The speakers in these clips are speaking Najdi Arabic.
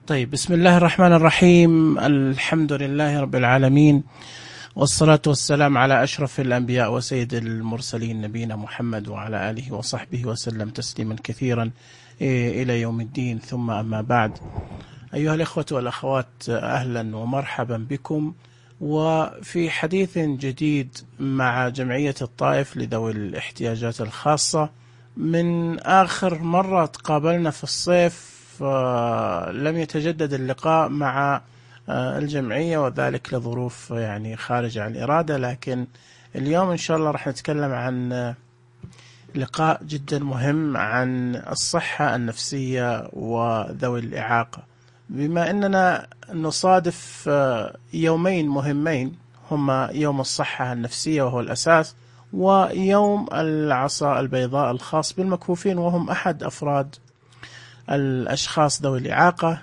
طيب، بسم الله الرحمن الرحيم. الحمد لله رب العالمين، والصلاة والسلام على أشرف الأنبياء وسيد المرسلين نبينا محمد وعلى آله وصحبه وسلم تسليما كثيرا إلى يوم الدين. ثم أما بعد، أيها الإخوة والأخوات، أهلا ومرحبا بكم وفي حديث جديد مع جمعية الطائف لذوي الاحتياجات الخاصة. من آخر مرة تقابلنا في الصيف لم يتجدد اللقاء مع الجمعية، وذلك لظروف يعني خارجة عن الإرادة، لكن اليوم إن شاء الله راح نتكلم عن لقاء جدا مهم عن الصحة النفسية وذوي الإعاقة، بما أننا نصادف يومين مهمين، هما يوم الصحة النفسية وهو الأساس، ويوم العصا البيضاء الخاص بالمكفوفين وهم أحد أفراد الأشخاص ذوي الإعاقة.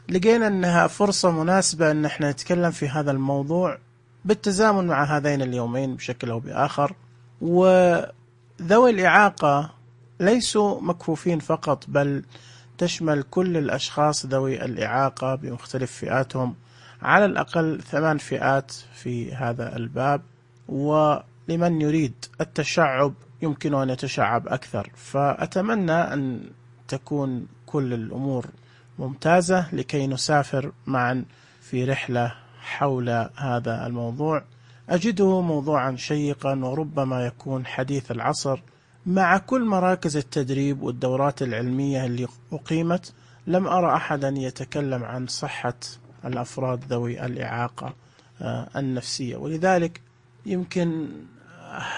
لقينا أنها فرصة مناسبة أن احنا نتكلم في هذا الموضوع بالتزامن مع هذين اليومين بشكل أو بآخر. وذوي الإعاقة ليسوا مكفوفين فقط، بل تشمل كل الأشخاص ذوي الإعاقة بمختلف فئاتهم، على الأقل 8 فئات في هذا الباب، ولمن يريد التشعب يمكن أن يتشعب أكثر. فأتمنى أن تكون كل الأمور ممتازة لكي نسافر معا في رحلة حول هذا الموضوع. أجده موضوعا شيقا وربما يكون حديث العصر. مع كل مراكز التدريب والدورات العلمية اللي أقيمت، لم أرى أحدا يتكلم عن صحة الأفراد ذوي الإعاقة النفسية، ولذلك يمكن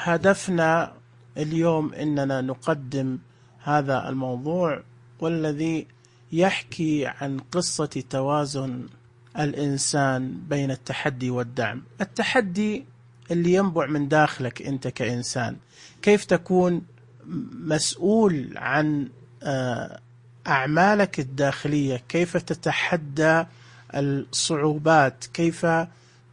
هدفنا اليوم أننا نقدم هذا الموضوع، والذي يحكي عن قصة توازن الإنسان بين التحدي والدعم. التحدي اللي ينبع من داخلك أنت كإنسان، كيف تكون مسؤول عن أعمالك الداخلية، كيف تتحدى الصعوبات، كيف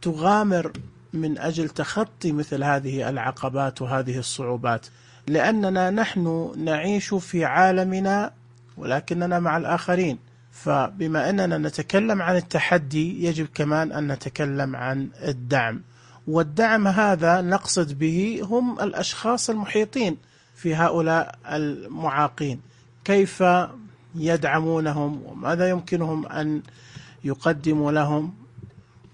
تغامر من أجل تخطي مثل هذه العقبات وهذه الصعوبات، لأننا نحن نعيش في عالمنا ولكننا مع الآخرين. فبما أننا نتكلم عن التحدي، يجب كمان أن نتكلم عن الدعم، والدعم هذا نقصد به هم الأشخاص المحيطين في هؤلاء المعاقين، كيف يدعمونهم وماذا يمكنهم أن يقدموا لهم،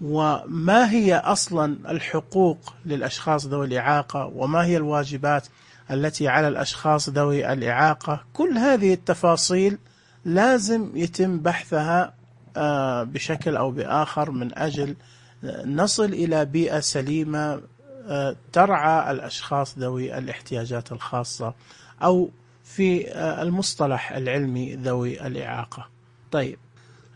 وما هي أصلا الحقوق للأشخاص ذوي الإعاقة، وما هي الواجبات التي على الأشخاص ذوي الإعاقة. كل هذه التفاصيل لازم يتم بحثها بشكل أو بآخر من أجل نصل إلى بيئة سليمة ترعى الأشخاص ذوي الاحتياجات الخاصة، أو في المصطلح العلمي ذوي الإعاقة. طيب،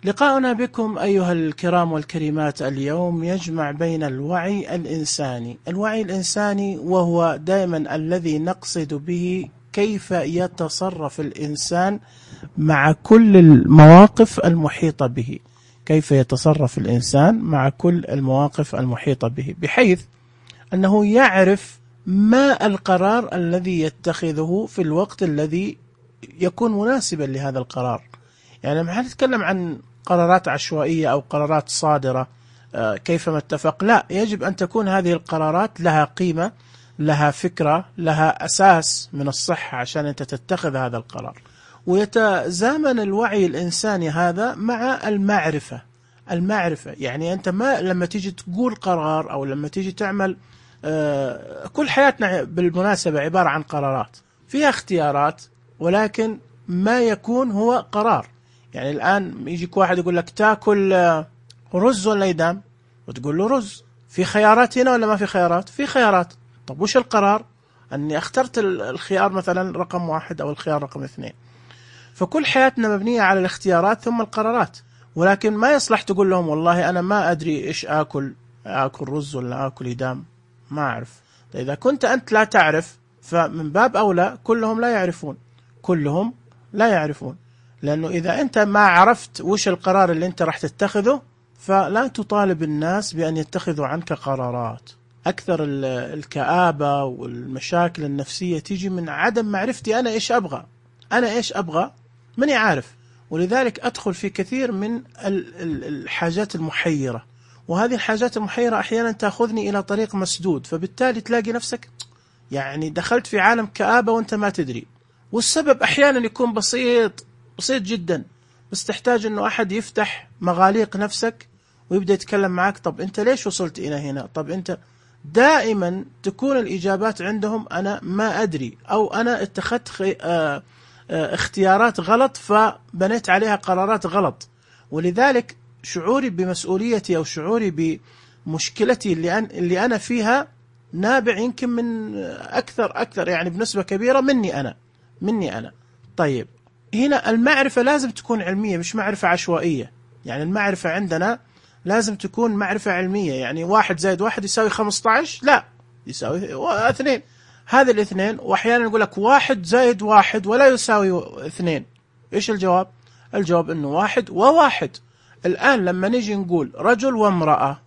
لقاؤنا بكم أيها الكرام والكريمات اليوم يجمع بين الوعي الإنساني، وهو دائما الذي نقصد به كيف يتصرف الإنسان مع كل المواقف المحيطة به، كيف يتصرف الإنسان مع كل المواقف المحيطة به، بحيث أنه يعرف ما القرار الذي يتخذه في الوقت الذي يكون مناسبا لهذا القرار. يعني ما نتكلم عن قرارات عشوائية أو قرارات صادرة كيفما اتفق، لا، يجب أن تكون هذه القرارات لها قيمة، لها فكرة، لها أساس من الصحة عشان أنت تتخذ هذا القرار. ويتزامن الوعي الإنساني هذا مع المعرفة. يعني أنت ما لما تيجي تقول قرار أو لما تيجي تعمل، كل حياتنا بالمناسبة عبارة عن قرارات فيها اختيارات، ولكن ما يكون هو قرار. يعني الآن يجيك واحد يقول لك تاكل رز ولا يدام، وتقول له رز. في خيارات هنا ولا ما في خيارات؟ في خيارات. طب وش القرار؟ أني اخترت الخيار مثلا رقم 1 أو الخيار رقم 2. فكل حياتنا مبنية على الاختيارات ثم القرارات، ولكن ما يصلح تقول لهم والله أنا ما أدري إيش آكل رز ولا آكل يدام، ما أعرف. إذا كنت أنت لا تعرف، فمن باب أولى كلهم لا يعرفون. لأنه إذا أنت ما عرفت وش القرار اللي أنت راح تتخذه، فلا تطالب الناس بأن يتخذوا عنك قرارات. أكثر الكآبة والمشاكل النفسية تيجي من عدم معرفتي أنا إيش أبغى، ماني عارف. ولذلك أدخل في كثير من الحاجات المحيرة، وهذه الحاجات المحيرة أحيانا تأخذني إلى طريق مسدود، فبالتالي تلاقي نفسك يعني دخلت في عالم كآبة وأنت ما تدري. والسبب أحيانا يكون بسيط جدا، بس تحتاج أنه أحد يفتح مغاليق نفسك ويبدأ يتكلم معك. طب أنت ليش وصلت إلى هنا؟ طب أنت دائما تكون الإجابات عندهم أنا ما أدري، أو أنا اتخذت اختيارات غلط فبنيت عليها قرارات غلط. ولذلك شعوري بمسؤوليتي أو شعوري بمشكلتي اللي أنا فيها نابع يمكن من أكثر يعني بنسبة كبيرة مني أنا. طيب هنا المعرفة لازم تكون علمية، مش معرفة عشوائية. يعني المعرفة عندنا لازم تكون معرفة علمية. يعني 1 زائد 1 يساوي 15؟ لا، يساوي 2. هذا الاثنين، وأحيانا يقول لك 1 زائد 1 ولا يساوي 2. إيش الجواب؟ الجواب إنه 1 و1. الآن لما نيجي نقول رجل وامرأة،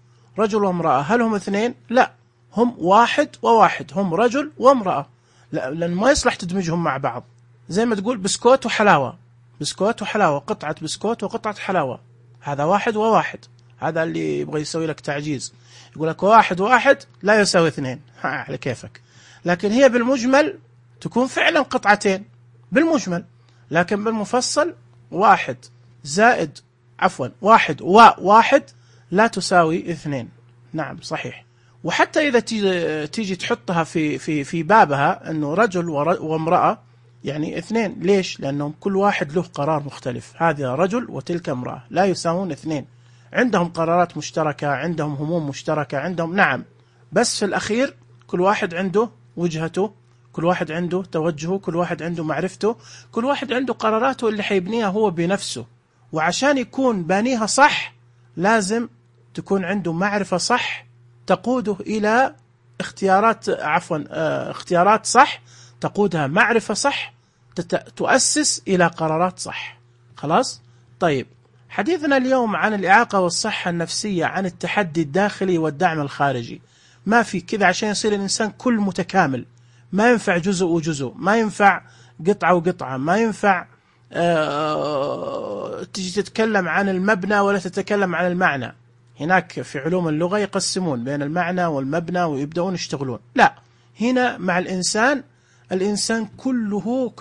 هل هم 2؟ لا، هم 1 و1، هم رجل وامرأة. لا، لأن ما يصلح تدمجهم مع بعض. زي ما تقول بسكوت وحلاوة، قطعة بسكوت وقطعة حلاوة، هذا 1 و1. هذا اللي يبغى يسوي لك تعجيز، يقول لك 1 و1 لا يساوي 2. على كيفك. لكن هي بالمجمل تكون فعلا قطعتين بالمجمل، لكن بالمفصل 1 و1 لا تساوي 2. نعم صحيح. وحتى إذا تيجي تحطها في بابها أنه رجل وامرأة، يعني 2. ليش؟ لأنهم كل واحد له قرار مختلف. هذا رجل وتلك امرأة، لا يساوون 2. عندهم قرارات مشتركة، عندهم هموم مشتركة، عندهم نعم، بس في الأخير كل واحد عنده وجهته، كل واحد عنده توجهه، كل واحد عنده معرفته، كل واحد عنده قراراته اللي حيبنيها هو بنفسه. وعشان يكون بانيها صح لازم تكون عنده معرفة صح تقوده إلى اختيارات صح، تقودها معرفة صح، تؤسس إلى قرارات صح. خلاص؟ طيب، حديثنا اليوم عن الإعاقة والصحة النفسية، عن التحدي الداخلي والدعم الخارجي. ما في كذا عشان يصير الإنسان كل متكامل. ما ينفع جزء وجزء، ما ينفع قطعة وقطعة، ما ينفع تجي تتكلم عن المبنى ولا تتكلم عن المعنى. هناك في علوم اللغة يقسمون بين المعنى والمبنى ويبدأون يشتغلون. لا، هنا مع الإنسان كله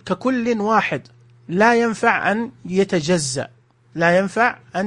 ككل واحد، لا ينفع أن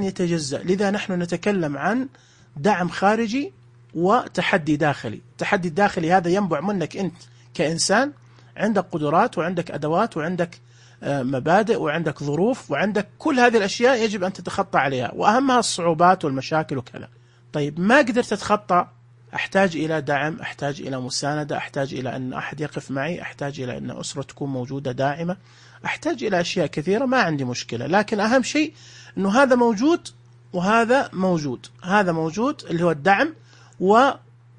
يتجزأ. لذا نحن نتكلم عن دعم خارجي وتحدي داخلي. التحدي الداخلي هذا ينبع منك أنت كإنسان، عندك قدرات وعندك أدوات وعندك مبادئ وعندك ظروف وعندك كل هذه الأشياء يجب أن تتخطى عليها، وأهمها الصعوبات والمشاكل وكذا. طيب ما قدرت تتخطى، أحتاج إلى دعم، أحتاج إلى مساندة، أحتاج إلى أن أحد يقف معي، أحتاج إلى أن أسرة تكون موجودة داعمة، أحتاج إلى أشياء كثيرة. ما عندي مشكلة، لكن أهم شيء أنه هذا موجود وهذا موجود. هذا موجود اللي هو الدعم،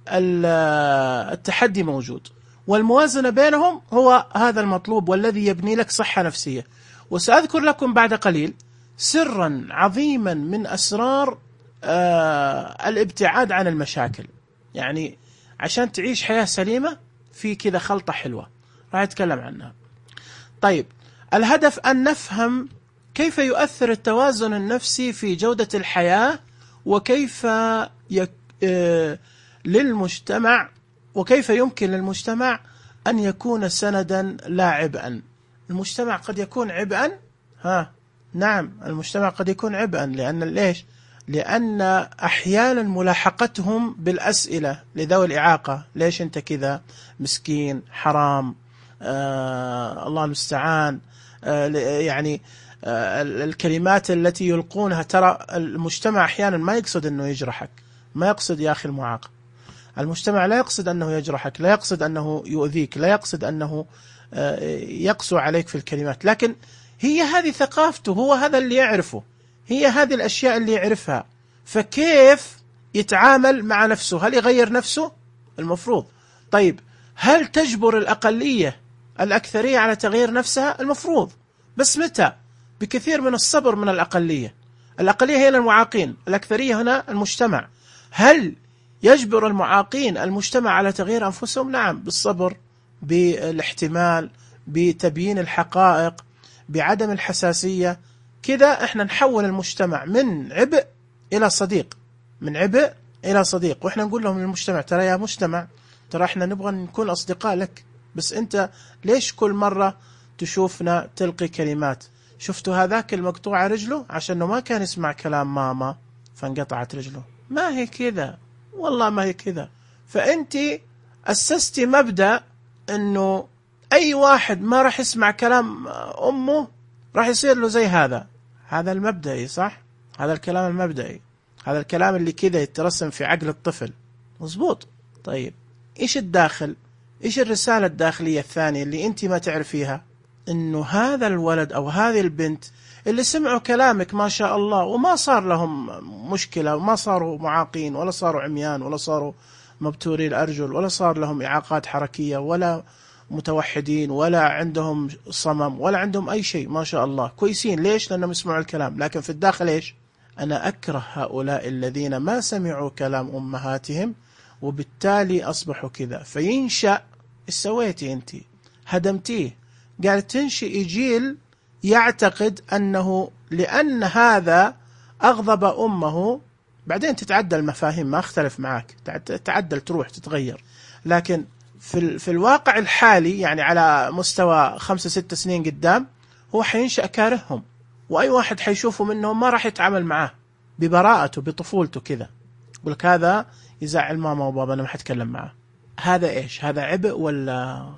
والتحدي موجود، والموازنة بينهم هو هذا المطلوب والذي يبني لك صحة نفسية. وسأذكر لكم بعد قليل سرا عظيما من أسرار الابتعاد عن المشاكل. يعني عشان تعيش حياة سليمة في كذا خلطة حلوة راح أتكلم عنها. طيب، الهدف أن نفهم كيف يؤثر التوازن النفسي في جودة الحياة، وكيف للمجتمع، وكيف يمكن للمجتمع أن يكون سندا لا عبئا. المجتمع قد يكون عبئا، نعم المجتمع قد يكون عبئا. ليش؟ لأن أحيانا ملاحقتهم بالأسئلة لذوي الإعاقة، ليش أنت كذا مسكين، حرام، الله المستعان، يعني الكلمات التي يلقونها. ترى المجتمع أحيانا ما يقصد أنه يجرحك، ما يقصد يا أخي المعاق، المجتمع لا يقصد أنه يجرحك، لا يقصد أنه يؤذيك، لا يقصد أنه يقسو عليك في الكلمات، لكن هي هذه ثقافته، هو هذا اللي يعرفه، هي هذه الأشياء اللي يعرفها. فكيف يتعامل مع نفسه؟ هل يغير نفسه؟ المفروض. طيب هل تجبر الأقلية الأكثرية على تغيير نفسها؟ المفروض. بس متى؟ بكثير من الصبر من الأقلية. الأقلية هي المعاقين، الأكثرية هنا المجتمع. هل يجبر المعاقين المجتمع على تغيير أنفسهم؟ نعم، بالصبر، بالاحتمال، بتبيين الحقائق، بعدم الحساسية، كذا احنا نحول المجتمع من عبء إلى صديق، من عبء إلى صديق. وإحنا نقول لهم للمجتمع ترى يا مجتمع، ترى احنا نبغى نكون أصدقاء لك، بس أنت ليش كل مرة تشوفنا تلقي كلمات؟ شفتوا هذاك المقطوعة رجله عشانه ما كان يسمع كلام ماما فانقطعت رجله؟ ما هي كذا، والله ما هي كذا. فأنت أسستي مبدأ أنه أي واحد ما راح يسمع كلام أمه راح يصير له زي هذا. هذا المبدئي صح؟ هذا الكلام المبدئي، هذا الكلام اللي كذا يترسم في عقل الطفل، مزبوط. طيب إيش الداخل؟ إيش الرسالة الداخلية الثانية اللي أنت ما تعرفيها؟ إنه هذا الولد أو هذه البنت اللي سمعوا كلامك ما شاء الله وما صار لهم مشكلة، وما صاروا معاقين ولا صاروا عميان ولا صاروا مبتوري الأرجل ولا صار لهم إعاقات حركية ولا متوحدين ولا عندهم صمم ولا عندهم أي شيء، ما شاء الله كويسين. ليش؟ لأنهم يسمعوا الكلام. لكن في الداخل إيش؟ أنا أكره هؤلاء الذين ما سمعوا كلام أمهاتهم وبالتالي أصبحوا كذا. فينشأ، إيش سويتي أنت؟ هدمتيه. قال تنشئ جيل يعتقد أنه لأن هذا أغضب أمه، بعدين تتعدل المفاهيم، ما أختلف معك، تعدل تروح تتغير. لكن في الواقع الحالي يعني على مستوى 5-6 سنين قدام هو حينشأ كارههم، وأي واحد حيشوفه منهم ما راح يتعامل معاه ببراءته بطفولته كذا، يقول لك هذا يزعل ماما وبابا أنا ما حتكلم معه. هذا إيش؟ هذا عبء ولا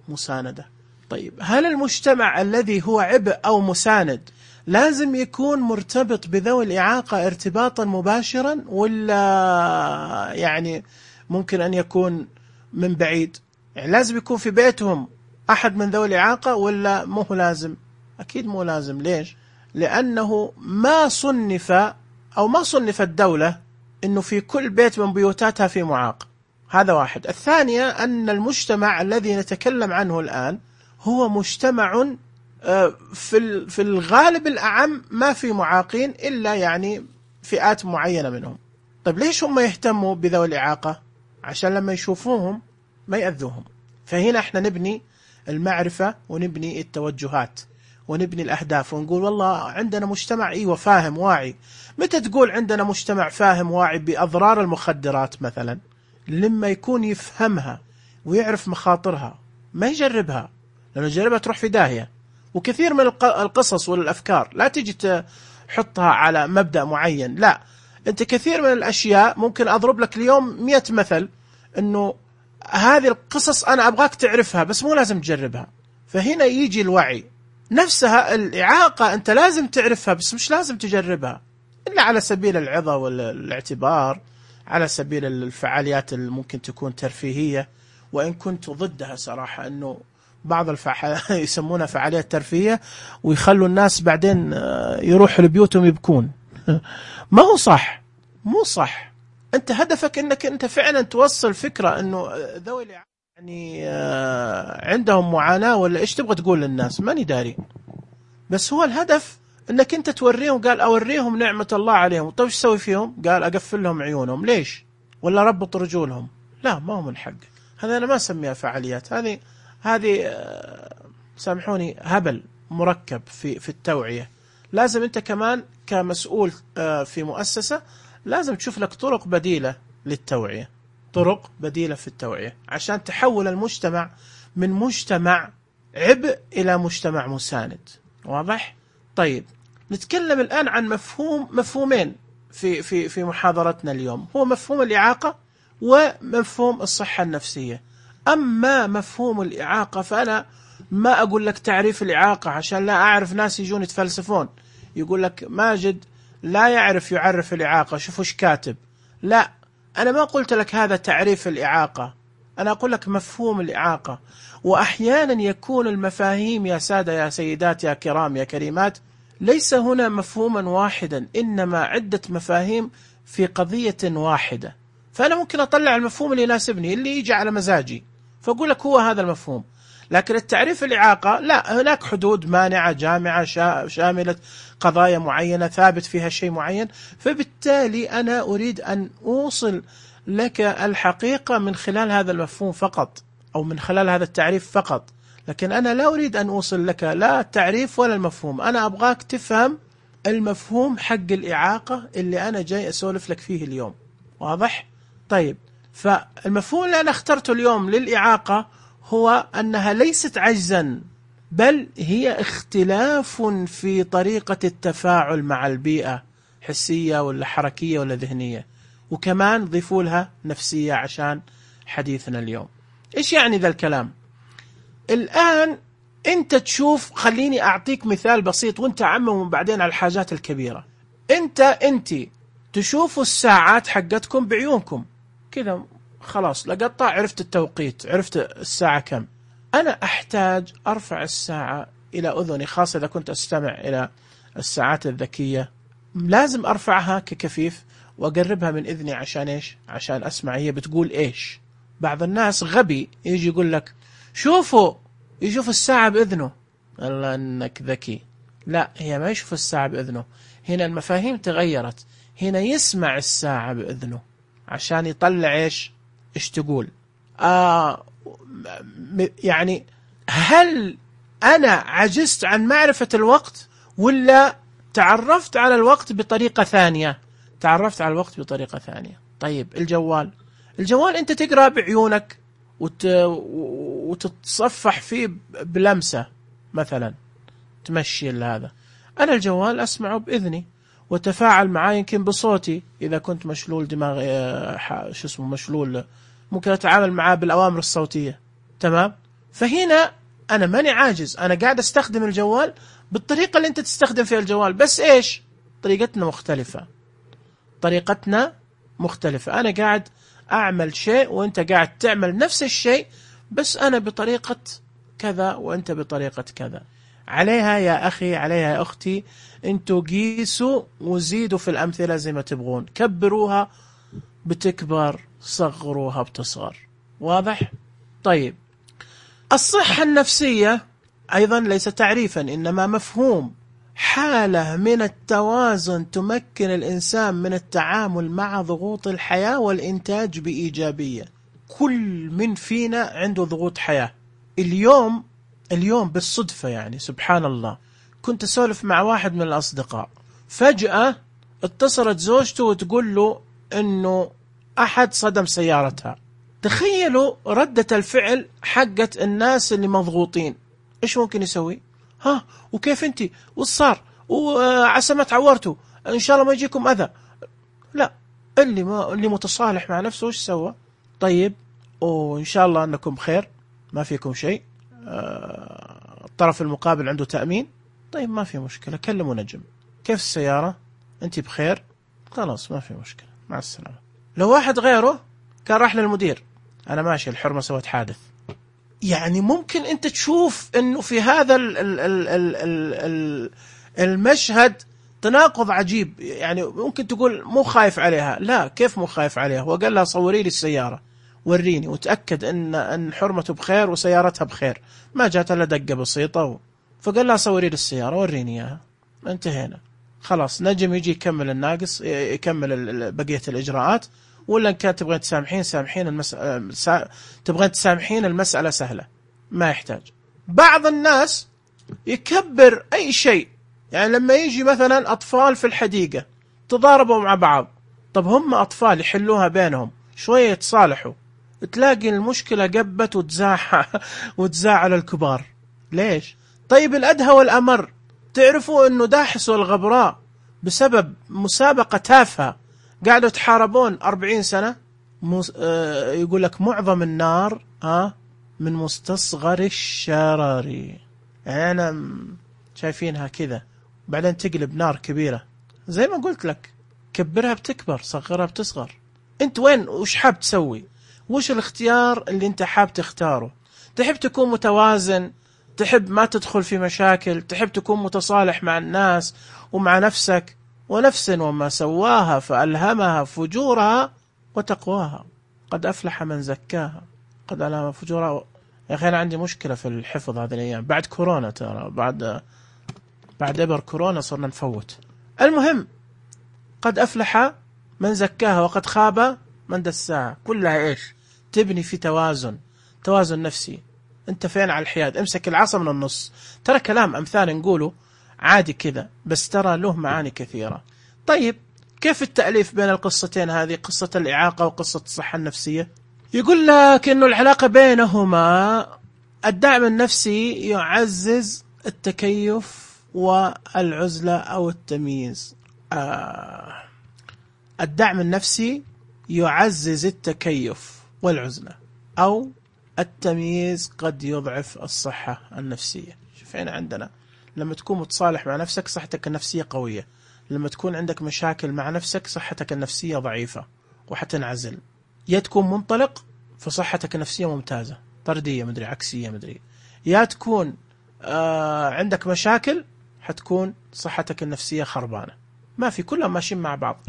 مساندة؟ طيب هل المجتمع الذي هو عبء أو مساند لازم يكون مرتبط بذوي الإعاقة ارتباطا مباشرا، ولا يعني ممكن أن يكون من بعيد؟ يعني لازم يكون في بيتهم أحد من ذوي الإعاقة ولا مو لازم؟ أكيد مو لازم. ليش؟ لأنه ما صنف أو ما صنف الدولة أنه في كل بيت من بيوتاتها في معاق. هذا واحد. الثانية أن المجتمع الذي نتكلم عنه الآن هو مجتمع في الغالب الأعم ما في معاقين إلا يعني فئات معينة منهم. طيب ليش هم يهتموا بذوي الإعاقة؟ عشان لما يشوفوهم ما يأذوهم. فهنا احنا نبني المعرفة ونبني التوجهات ونبني الأهداف ونقول والله عندنا مجتمع ايوه فاهم واعي. متى تقول عندنا مجتمع فاهم واعي بأضرار المخدرات مثلا؟ لما يكون يفهمها ويعرف مخاطرها، ما يجربها، لأنه يجربها تروح في داهية. وكثير من القصص والأفكار لا تجي تحطها على مبدأ معين، لا، أنت كثير من الأشياء ممكن أضرب لك اليوم 100 مثل أنه هذه القصص أنا أبغاك تعرفها بس مو لازم تجربها. فهنا يجي الوعي. نفسها الإعاقة أنت لازم تعرفها بس مش لازم تجربها إلا على سبيل العظة والاعتبار، على سبيل الفعاليات اللي ممكن تكون ترفيهية، وإن كنت ضدها صراحة أنه بعض يسمونها فعاليات ترفيهية ويخلوا الناس بعدين يروحوا لبيوتهم يبكون. ما هو صح، مو صح. أنت هدفك أنك أنت فعلا توصل فكرة أنه ذوي يعني عندهم معاناة ولا إيش تبغى تقول للناس، ماني داري. بس هو الهدف أنك أنت توريهم. قال أوريهم نعمة الله عليهم. طيب إيش سوي فيهم؟ قال أقفل لهم عيونهم. ليش؟ ولا ربط رجولهم؟ لا، ما هو من حقك. هذا أنا ما أسميها فعاليات. هذه سامحوني هبل مركب في التوعية. لازم أنت كمان كمسؤول في مؤسسة لازم تشوف لك طرق بديلة للتوعية، طرق بديلة في التوعية عشان تحول المجتمع من مجتمع عبء إلى مجتمع مساند. واضح؟ طيب نتكلم الآن عن مفهومين في محاضرتنا اليوم، هو مفهوم الإعاقة ومفهوم الصحة النفسية. أما مفهوم الإعاقة فأنا ما أقول لك تعريف الإعاقة عشان لا أعرف ناس يجون يتفلسفون يقول لك ماجد لا يعرف الإعاقة، شوفوا ايش كاتب. لا، أنا ما قلت لك هذا تعريف الإعاقة، أنا أقول لك مفهوم الإعاقة. وأحيانا يكون المفاهيم يا سادة يا سيدات يا كرام يا كريمات ليس هنا مفهوما واحدا، إنما عدة مفاهيم في قضية واحدة. فأنا ممكن أطلع المفهوم اللي يناسبني اللي يجي على مزاجي فأقول لك هو هذا المفهوم. لكن التعريف الإعاقة لا، هناك حدود مانعة جامعة شاملة قضايا معينة ثابت فيها شيء معين. فبالتالي أنا أريد أن أوصل لك الحقيقة من خلال هذا المفهوم فقط، أو من خلال هذا التعريف فقط. لكن أنا لا أريد أن أوصل لك لا التعريف ولا المفهوم، أنا أبغاك تفهم المفهوم حق الإعاقة اللي أنا جاي أسولف لك فيه اليوم. واضح؟ طيب، فالمفهوم اللي أنا اخترته اليوم للإعاقة هو أنها ليست عجزا، بل هي اختلاف في طريقة التفاعل مع البيئة، حسية ولا حركية ولا ذهنية، وكمان ضيفوا لها نفسية عشان حديثنا اليوم. إيش يعني ذا الكلام؟ الآن أنت تشوف، خليني أعطيك مثال بسيط وأنت عمم بعدين على الحاجات الكبيرة. أنت تشوفوا الساعات حقتكم بعيونكم كذا، خلاص لقطة، عرفت التوقيت، عرفت الساعة كم. أنا أحتاج أرفع الساعة إلى أذني، خاصة إذا كنت أستمع إلى الساعات الذكية، لازم أرفعها ككفيف وأقربها من إذني عشان إيش؟ عشان أسمع هي بتقول إيش. بعض الناس غبي يجي يقول لك شوفوا، يشوف الساعة بإذنه. الله أنك ذكي. لا، هي ما يشوف الساعة بإذنه، هنا المفاهيم تغيرت، هنا يسمع الساعة بإذنه عشان يطلع إيش تقول. يعني هل أنا عجزت عن معرفة الوقت ولا تعرفت على الوقت بطريقة ثانية؟ تعرفت على الوقت بطريقة ثانية. طيب الجوال أنت تقرأ بعيونك وتتصفح فيه بلمسة مثلا، تمشي هذا. أنا الجوال أسمعه بإذني وتفاعل معاه يمكن بصوتي، إذا كنت مشلول دماغ مشلول، ممكن أتعامل معاه بالأوامر الصوتية. تمام؟ فهنا أنا ماني عاجز، أنا قاعد أستخدم الجوال بالطريقة اللي أنت تستخدم فيها الجوال، بس إيش؟ طريقتنا مختلفة. أنا قاعد أعمل شيء وأنت قاعد تعمل نفس الشيء، بس أنا بطريقة كذا وأنت بطريقة كذا. عليها يا أخي، عليها يا أختي، أنتوا قيسوا وزيدوا في الأمثلة زي ما تبغون، كبروها بتكبر، صغروها بتصغر. واضح؟ طيب، الصحة النفسية أيضا ليس تعريفا، إنما مفهوم، حالة من التوازن تمكن الإنسان من التعامل مع ضغوط الحياة والإنتاج بإيجابية. كل من فينا عنده ضغوط حياة. اليوم بالصدفة، يعني سبحان الله، كنت أسولف مع واحد من الأصدقاء، فجأة اتصلت زوجته وتقول له إنه أحد صدم سيارتها. تخيلوا ردة الفعل حقت الناس اللي مضغوطين، إيش ممكن يسوي؟ وكيف أنت؟ والصار؟ وعسى ما تعورتوا، إن شاء الله ما يجيكم أذى. لا، اللي متصالح مع نفسه إيش سوى؟ طيب، وإن شاء الله أنكم بخير، ما فيكم شيء، الطرف المقابل عنده تأمين، طيب ما في مشكلة، كلموا نجم، كيف السيارة؟ أنت بخير؟ خلاص ما في مشكلة، مع السلامة. لو واحد غيره كان راح للمدير، أنا ماشي، الحرمة سوت حادث. يعني ممكن أنت تشوف أنه في هذا المشهد تناقض عجيب. يعني ممكن تقول مو خايف عليها، لا، كيف مو خايف عليها؟ هو قال لها صوري لي السيارة، وريني وتأكد أن حرمته بخير وسيارتها بخير، ما جات إلا دقة بسيطة فقال لها صوري لي السيارة، وريني إياها، انتهينا. خلاص، نجم يجي يكمل الناقص، يكمل بقية الإجراءات. ولا إن كانت تبغين تسامحين المسألة سهلة، ما يحتاج. بعض الناس يكبر أي شيء، يعني لما يجي مثلا أطفال في الحديقة تضاربوا مع بعض، طب هم أطفال يحلوها بينهم، شوية يتصالحوا، تلاقي المشكلة قبت وتزاعل الكبار. ليش؟ طيب الأدهى والأمر، تعرفوا أنه داحس والغبراء بسبب مسابقة تافهة قاعدوا يتحاربون 40 سنة. يقول لك معظم النار من مستصغر الشرر. يعني أنا شايفينها كذا، بعدين تقلب نار كبيرة. زي ما قلت لك، كبرها بتكبر، صغرها بتصغر. انت وين؟ وش حاب تسوي؟ وش الاختيار اللي انت حاب تختاره؟ تحب تكون متوازن، تحب ما تدخل في مشاكل، تحب تكون متصالح مع الناس ومع نفسك. ونفس وما سواها فألهمها فجورها وتقواها، قد أفلح من زكاها قد ألهم فجورها. يا أخي أنا عندي مشكلة في الحفظ هذه الأيام، بعد كورونا، ترى بعد إبر كورونا صرنا نفوت. المهم، قد أفلح من زكاها وقد خاب من دساها. كلها إيش؟ تبني في توازن نفسي. أنت فين على الحياد؟ امسك العصا من النص. ترى كلام أمثال نقوله عادي كذا، بس ترى له معاني كثيرة. طيب كيف التأليف بين القصتين هذه، قصة الإعاقة وقصة الصحة النفسية؟ يقول لك إنه العلاقة بينهما الدعم النفسي يعزز التكيف والعزلة أو التمييز. الدعم النفسي يعزز التكيف والعزلة، أو التمييز قد يضعف الصحة النفسية. شوف هنا عندنا لما تكون متصالح مع نفسك صحتك النفسية قوية، لما تكون عندك مشاكل مع نفسك صحتك النفسية ضعيفة وحتنعزل. يا تكون منطلق فصحتك النفسية ممتازة طردية مدري عكسية مدري، يا تكون عندك مشاكل حتكون صحتك النفسية خربانة. ما في، كلهم ماشيين مع بعض،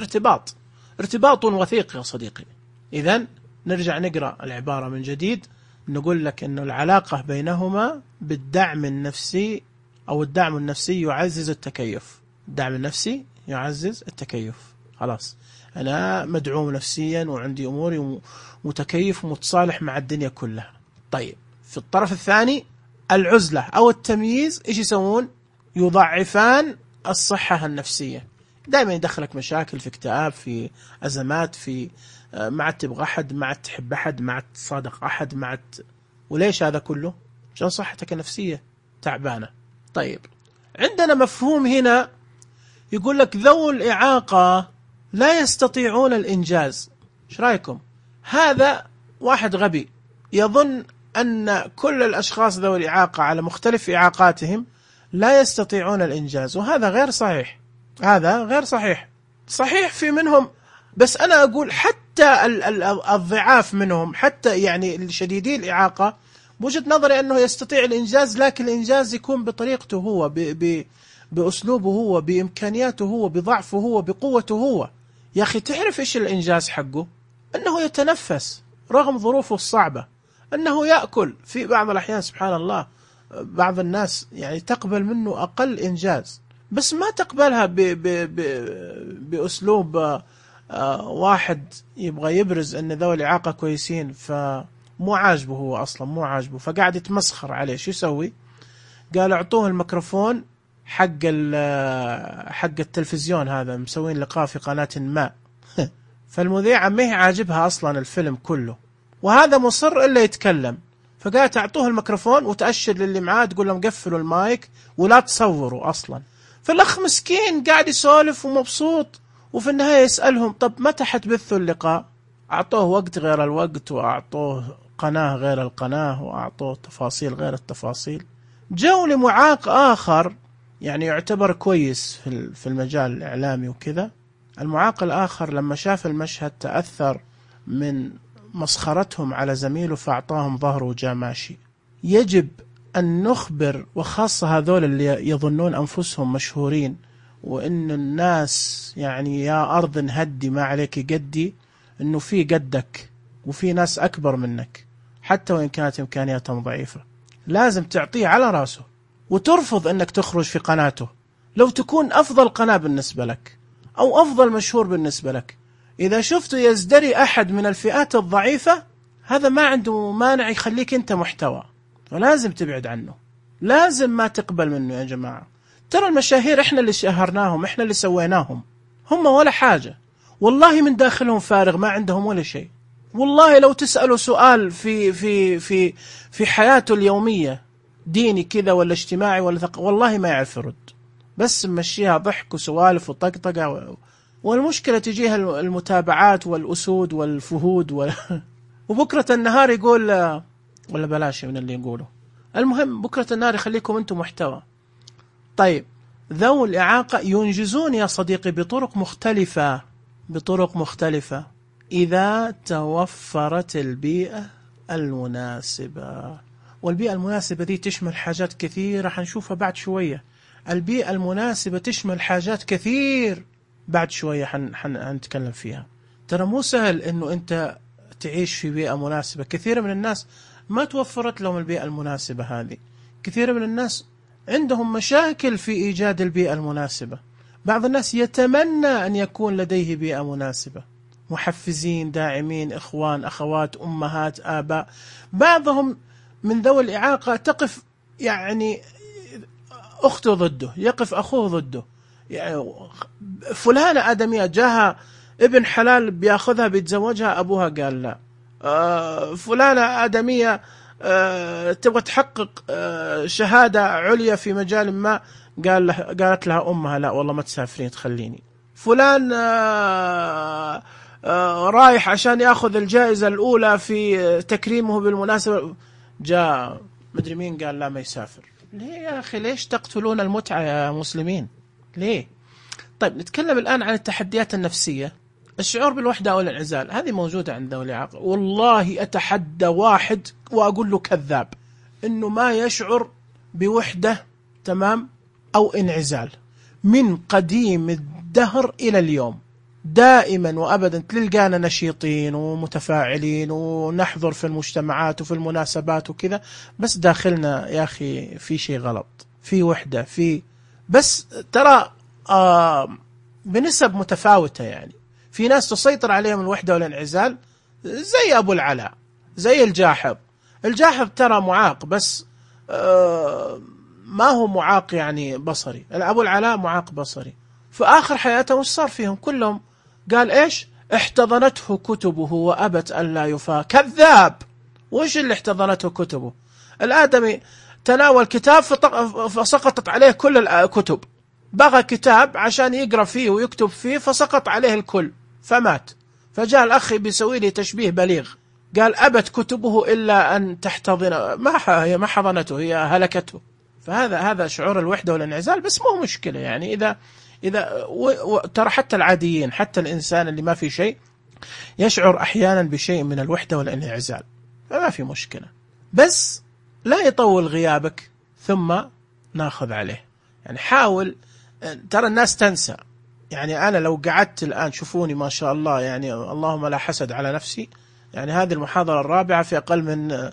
ارتباط وثيق يا صديقي. إذن نرجع نقرأ العبارة من جديد، نقول لك إنه العلاقة بينهما بالدعم النفسي، أو الدعم النفسي يعزز التكيف. الدعم النفسي يعزز التكيف. خلاص أنا مدعوم نفسيا وعندي أموري متكيف ومتصالح مع الدنيا كلها. طيب في الطرف الثاني العزلة أو التمييز إيش يسوون؟ يضعفان الصحة النفسية. دائما يدخلك مشاكل، في اكتئاب، في أزمات، في ما عاد تبغى أحد، ما عاد تحب أحد، ما عاد تصادق أحد، ما عاد. وليش هذا كله؟ عشان صحتك النفسية تعبانة. طيب عندنا مفهوم هنا يقول لك ذوي الإعاقة لا يستطيعون الإنجاز. ايش رايكم؟ هذا واحد غبي يظن أن كل الأشخاص ذوي الإعاقة على مختلف إعاقاتهم لا يستطيعون الإنجاز، وهذا غير صحيح. هذا غير صحيح. صحيح في منهم، بس أنا أقول حتى الضعاف منهم، حتى يعني الشديدي الإعاقة بوجهة نظري أنه يستطيع الإنجاز، لكن الإنجاز يكون بطريقته هو، بأسلوبه هو، بإمكانياته هو، بضعفه هو، بقوته هو. يا أخي تعرف إيش الإنجاز حقه؟ أنه يتنفس رغم ظروفه الصعبة، أنه يأكل في بعض الأحيان. سبحان الله، بعض الناس يعني تقبل منه أقل إنجاز، بس ما تقبلها بأسلوب واحد يبغى يبرز أن ذوي الإعاقة كويسين، فمو عاجبه هو أصلا، مو عاجبه، فقاعد يتمسخر عليه. شو يسوي؟ قال اعطوه الميكروفون حق التلفزيون، هذا مسوين لقاء في قناة ما فالمذيعة ما هي عاجبها أصلا الفيلم كله، وهذا مصر إلا يتكلم. فقال تعطوه الميكروفون وتأشر للي معاه تقول لهم قفلوا المايك ولا تصوروا أصلا. فالأخ مسكين قاعد يسولف ومبسوط، وفي النهاية يسألهم طب متى حتبثوا اللقاء؟ أعطوه وقت غير الوقت، وأعطوه قناة غير القناة، وأعطوه تفاصيل غير التفاصيل. جو لمعاق آخر يعني يعتبر كويس في المجال الإعلامي وكذا، المعاق الآخر لما شاف المشهد تأثر من مسخرتهم على زميله فأعطاهم ظهره وجاء ماشي. يجب أن نخبر، وخاصة هذول اللي يظنون أنفسهم مشهورين، وإن الناس يعني يا أرض نهدي ما عليك قدي، إنه في قدك وفي ناس أكبر منك حتى وإن كانت إمكانياتهم ضعيفة. لازم تعطيه على رأسه، وترفض أنك تخرج في قناته لو تكون أفضل قناة بالنسبة لك أو أفضل مشهور بالنسبة لك. إذا شفته يزدري أحد من الفئات الضعيفة، هذا ما عنده مانع يخليك أنت محتوى، ولازم تبعد عنه، لازم ما تقبل منه. يا جماعة ترى المشاهير إحنا اللي شهرناهم، إحنا اللي سويناهم، هم ولا حاجة والله، من داخلهم فارغ ما عندهم ولا شيء. والله لو تسألوا سؤال في حياته اليومية ديني كذا ولا اجتماعي ولا والله ما يعرف يرد، بس مشيها ضحك وسوالف وطقطقة والمشكلة تجيها المتابعات والأسود والفهود وبكرة النهار يقول ولا بلاش من اللي يقوله. المهم بكرة النهار يخليكم أنتم محتوى. طيب ذوي الإعاقة ينجزون يا صديقي بطرق مختلفة إذا توفرت البيئة المناسبة. والبيئة المناسبة دي تشمل حاجات كثيرة حنشوفها بعد شوية. البيئة المناسبة تشمل حاجات كثير بعد شوية حنتكلم فيها. ترى مو سهل إنه أنت تعيش في بيئة مناسبة. كثير من الناس ما توفرت لهم البيئة المناسبة هذه. كثير من الناس عندهم مشاكل في إيجاد البيئة المناسبة. بعض الناس يتمنى أن يكون لديه بيئة مناسبة، محفزين، داعمين، إخوان، أخوات، أمهات، آباء. بعضهم من ذوي الإعاقة تقف يعني أخته ضده، يقف أخوه ضده. يعني فلانة آدمية جاها ابن حلال بياخذها بيتزوجها، أبوها قال لا. فلانة آدمية تبغى تحقق شهادة عليا في مجال ما، قالت لها أمها لا والله ما تسافرين تخليني. فلان رايح عشان يأخذ الجائزة الأولى في تكريمه بالمناسبة، جاء مدري مين قال لا ما يسافر. ليه يا أخي؟ ليش تقتلون المتعة يا مسلمين؟ ليه؟ طيب نتكلم الآن عن التحديات النفسية. الشعور بالوحدة أو الانعزال هذه موجودة عند ذوي الإعاقة. والله أتحدى واحد وأقول له كذاب إنه ما يشعر بوحدة تمام أو انعزال من قديم الدهر إلى اليوم. دائما وأبدا تلقانا نشيطين ومتفاعلين ونحضر في المجتمعات وفي المناسبات وكذا، بس داخلنا يا أخي في شيء غلط، في وحدة، في بس ترى بنسب متفاوتة. يعني في ناس تسيطر عليهم الوحدة والانعزال زي أبو العلاء، زي الجاحظ. الجاحظ ترى معاق بس ما هو معاق يعني بصري. أبو العلاء معاق بصري. في آخر حياته وش صار فيهم كلهم؟ قال إيش؟ احتضنته كتبه وأبت أن لا يفا. كذاب. وش اللي احتضنته كتبه؟ الآدمي تناول كتاب فسقطت عليه كل الكتب، بغى كتاب عشان يقرأ فيه ويكتب فيه فسقط عليه الكل فمات. فجاء الأخ بيسوي لي تشبيه بليغ، قال أبت كتبه إلا أن تحتضن، هي ما حضنته، هي هلكته. فهذا شعور الوحدة والانعزال. بس مو مشكلة يعني إذا ترى حتى العاديين، حتى الإنسان اللي ما في شيء يشعر أحيانا بشيء من الوحدة والانعزال، فما في مشكلة. بس لا يطول غيابك ثم ناخذ عليه. يعني حاول، ترى الناس تنسى. يعني أنا لو قعدت الآن شوفوني ما شاء الله، يعني اللهم لا حسد على نفسي، يعني هذه المحاضرة الرابعة في أقل من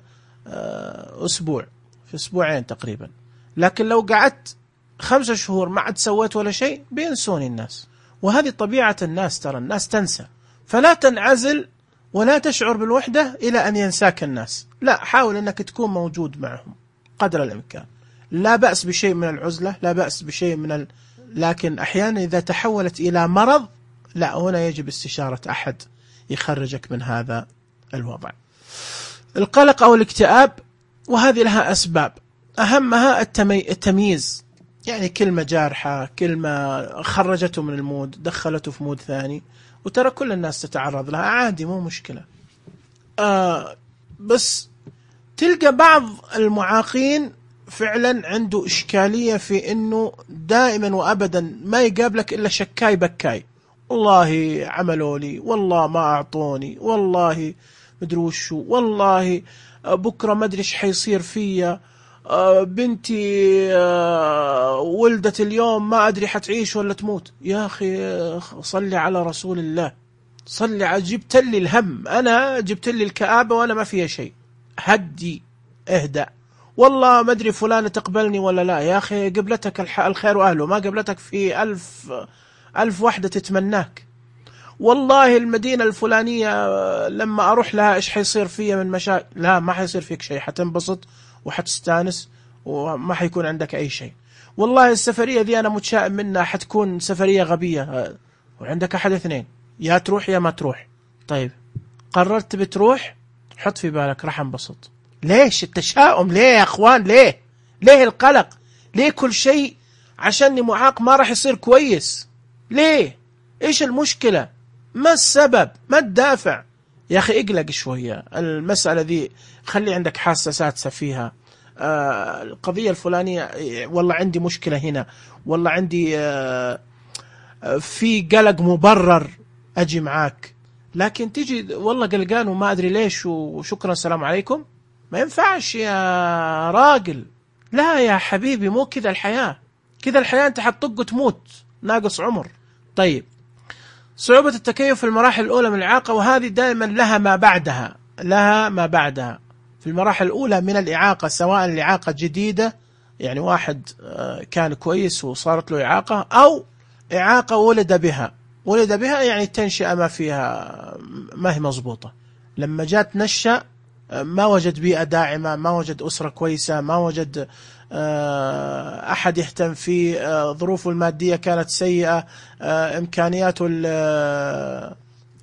أسبوع، في أسبوعين تقريبا. لكن لو قعدت 5 شهور ما عاد سويت ولا شيء بينسوني الناس. وهذه طبيعة الناس، ترى الناس تنسى. فلا تنعزل ولا تشعر بالوحدة إلى أن ينساك الناس. لا، حاول أنك تكون موجود معهم قدر الإمكان. لا بأس بشيء من العزلة، لا بأس بشيء من لكن أحيانا إذا تحولت إلى مرض، لا، هنا يجب استشارة أحد يخرجك من هذا الوضع. القلق أو الاكتئاب، وهذه لها أسباب، أهمها التمييز. يعني كلمة جارحة، كلمة خرجته من المود، دخلته في مود ثاني. وترى كل الناس تتعرض لها، عادي، مو مشكلة. بس تلقى بعض المعاقين فعلا عنده إشكالية في أنه دائما وأبدا ما يقابلك إلا شكاي بكاي. والله عملوا لي، والله ما أعطوني، والله مدري وشو، والله بكرة ما أدري إيش حيصير فيا، بنتي ولدت اليوم ما أدري حتعيش ولا تموت. يا أخي صلي على رسول الله، صلي على، جبت لي الهم، أنا جبت لي الكآبة وأنا ما فيها شيء. هدي، اهدأ. والله ما أدري فلانة تقبلني ولا لا. يا أخي قبلتك الخير وأهله، ما قبلتك في 1000 واحدة تتمناك. والله المدينة الفلانية لما أروح لها إيش حيصير فيها من مشاكل. لا، ما حيصير فيك شيء، حتنبسط وحتستانس وما حيكون عندك أي شيء. والله السفرية ذي أنا متشائم منها، حتكون سفرية غبية. وعندك أحد اثنين، يا تروح يا ما تروح. طيب قررت بتروح، حط في بالك راح انبسط. ليش التشاؤم؟ ليه يا أخوان؟ ليه القلق؟ ليه كل شيء عشاني معاق ما راح يصير كويس؟ ليه؟ إيش المشكلة؟ ما السبب؟ ما الدافع؟ يا أخي اقلق شوية. المسألة ذي خلي عندك حاسة سادسة فيها. القضية الفلانية، والله عندي مشكلة هنا، والله عندي في قلق مبرر، أجي معاك. لكن تيجي والله قلقان وما أدري ليش وشكرا السلام عليكم، ما ينفعش يا راجل. لا يا حبيبي، مو كذا الحياة. كذا الحياة أنت حتطق وتموت ناقص عمر. طيب، صعوبة التكيف في المراحل الأولى من الإعاقة، وهذه دائما لها ما بعدها. في المراحل الأولى من الإعاقة، سواء الإعاقة جديدة، يعني واحد كان كويس وصارت له إعاقة، أو إعاقة ولد بها يعني التنشئة ما فيها، ما هي مضبوطة. لما جات نشأ ما وجد بيئة داعمة، ما وجد أسرة كويسة، ما وجد أحد يهتم فيه، ظروفه المادية كانت سيئة، إمكانياته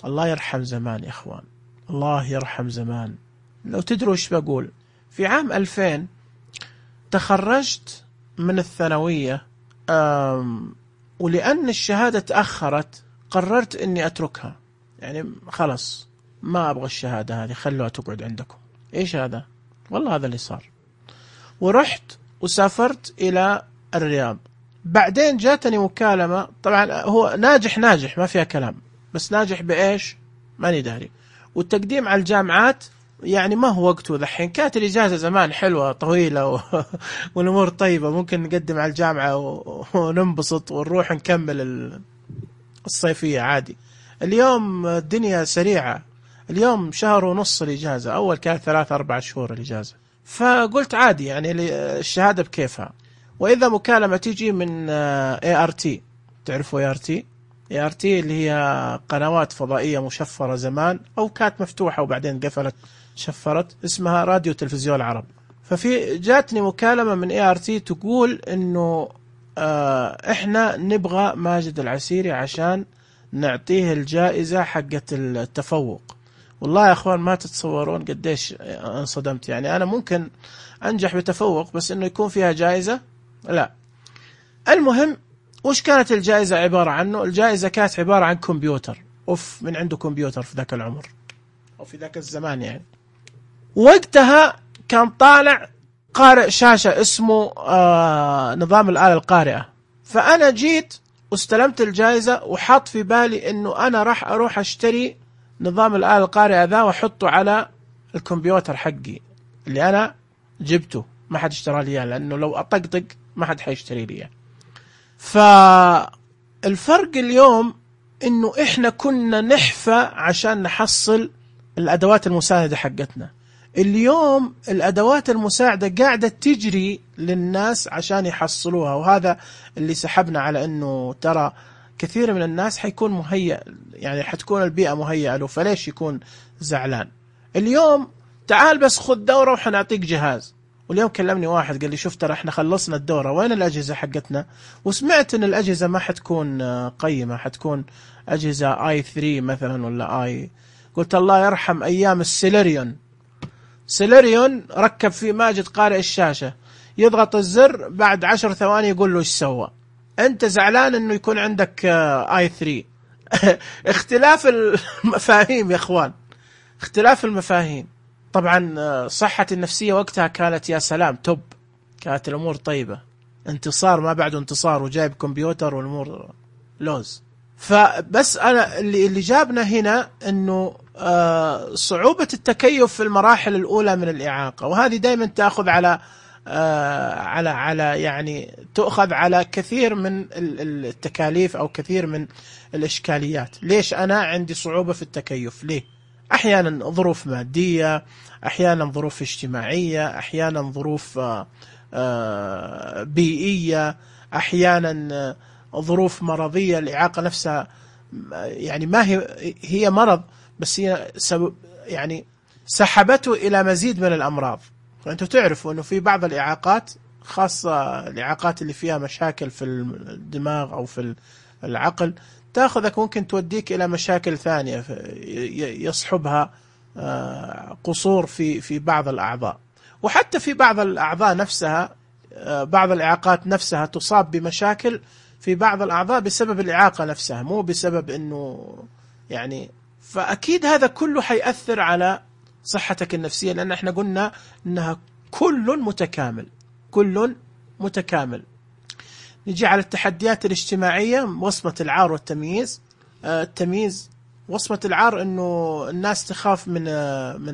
الله يرحم زمان يا إخوان، الله يرحم زمان. لو تدروا إيش بقول، في عام 2000 تخرجت من الثانوية، ولأن الشهادة تأخرت قررت إني أتركها، يعني خلص ما أبغى الشهادة هذه، خلوها تقعد عندكم. إيش هذا؟ والله هذا اللي صار. ورحت وسافرت إلى الرياض. بعدين جاتني مكالمة، طبعا هو ناجح ما فيها كلام، بس ناجح بإيش ماني داري. والتقديم على الجامعات يعني ما هو وقته ذحين، كانت الإجازة زمان حلوة طويلة والأمور طيبة، ممكن نقدم على الجامعة وننبسط ونروح نكمل الصيفية عادي. اليوم الدنيا سريعة، اليوم شهر ونص الإجازة، أول كانت 3-4 شهور الإجازة. فقلت عادي يعني الشهادة بكيفها. وإذا مكالمة تيجي من ART، تعرفوا ART اللي هي قنوات فضائية مشفرة زمان، أو كانت مفتوحة وبعدين قفلت شفرت، اسمها راديو تلفزيون العرب. ففي جاتني مكالمة من ART تقول إنه إحنا نبغى ماجد العسيري عشان نعطيه الجائزة حقة التفوق. والله يا أخوان ما تتصورون قديش انصدمت، يعني أنا ممكن أنجح بتفوق، بس إنه يكون فيها جائزة لا. المهم وش كانت الجائزة عبارة عنه؟ الجائزة كانت عبارة عن كمبيوتر. من عنده كمبيوتر في ذاك العمر أو في ذاك الزمان يعني. وقتها كان طالع قارئ شاشة اسمه نظام الآلة القارئة. فأنا جيت واستلمت الجائزة وحط في بالي إنه أنا راح أروح أشتري نظام الآلة القارئة ذا وحطه على الكمبيوتر حقي اللي أنا جبته، ما حد اشترى لي لأنه لو أطقطق ما حد حيشتري لي. فالفرق اليوم إنه إحنا كنا نحفى عشان نحصل الأدوات المساعدة حقتنا. اليوم الأدوات المساعدة قاعدة تجري للناس عشان يحصلوها، وهذا اللي سحبنا على إنه ترى كثير من الناس حيكون مهيأ، يعني حتكون البيئة مهيئة له، فليش يكون زعلان؟ اليوم تعال بس خذ دورة وحنعطيك جهاز. واليوم كلمني واحد قال لي شوف ترى احنا خلصنا الدورة، وين الأجهزة حقتنا؟ وسمعت ان الأجهزة ما حتكون قيمة، حتكون أجهزة i3 مثلا ولا قلت الله يرحم أيام السيلريون ركب فيه ماجد قارئ الشاشة، يضغط الزر بعد 10 ثواني يقول له ايش سوى. انت زعلان انه يكون عندك i3. اختلاف المفاهيم يا اخوان، اختلاف المفاهيم. طبعا صحتي النفسية وقتها كانت يا سلام توب، كانت الأمور طيبة، انتصار ما بعد انتصار، وجايب كمبيوتر والأمور لوز. فبس أنا اللي جابنا هنا أنه صعوبة التكيف في المراحل الأولى من الإعاقة، وهذه دائما تأخذ على يعني تأخذ على كثير من التكاليف أو كثير من الإشكاليات. ليش أنا عندي صعوبة في التكيف؟ ليه؟ أحيانا ظروف مادية، أحيانا ظروف اجتماعية، أحيانا ظروف بيئية، أحيانا ظروف مرضية. الإعاقة نفسها يعني ما هي مرض، بس هي يعني سحبته إلى مزيد من الأمراض. فأنتوا تعرفوا أنه في بعض الإعاقات، خاصة الإعاقات اللي فيها مشاكل في الدماغ أو في العقل، تأخذك ممكن توديك إلى مشاكل ثانية يصحبها قصور في بعض الأعضاء. وحتى في بعض الأعضاء نفسها، بعض الإعاقات نفسها تصاب بمشاكل في بعض الأعضاء بسبب الإعاقة نفسها، مو بسبب أنه يعني. فأكيد هذا كله حيأثر على صحتك النفسية، لأن احنا قلنا أنها كل متكامل. نجي على التحديات الاجتماعية، وصمة العار والتمييز. التمييز، وصمة العار أنه الناس تخاف من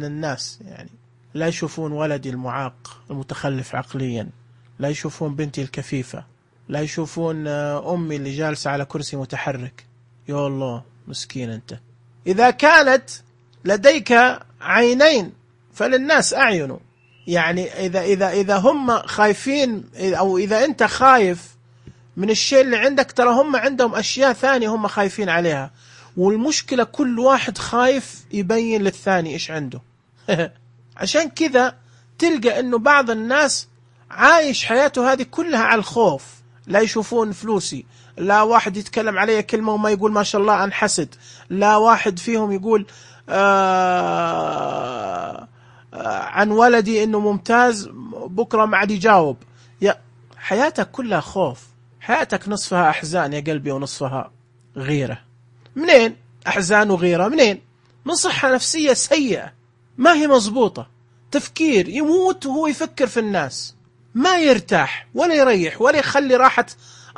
الناس، يعني لا يشوفون ولدي المعاق المتخلف عقليا، لا يشوفون بنتي الكفيفة، لا يشوفون أمي اللي جالسة على كرسي متحرك. يا الله مسكين أنت. إذا كانت لديك عينين فللناس أعين، يعني إذا هم خايفين، أو إذا أنت خايف من الشيء اللي عندك، ترى هم عندهم أشياء ثانية هم خايفين عليها. والمشكلة كل واحد خايف يبين للثاني إيش عنده. عشان كذا تلقى أنه بعض الناس عايش حياته هذه كلها على الخوف، لا يشوفون فلوسي، لا واحد يتكلم علي كلمة وما يقول ما شاء الله أنحسد، لا واحد فيهم يقول عن ولدي إنه ممتاز بكرة ما عاد يجاوب. حياتك كلها خوف، حياتك نصفها أحزان يا قلبي ونصفها غيرة. منين أحزان وغيرة؟ منين؟ من صحة نفسية سيئة ما هي مضبوطة، تفكير يموت وهو يفكر في الناس، ما يرتاح ولا يريح ولا يخلي راحة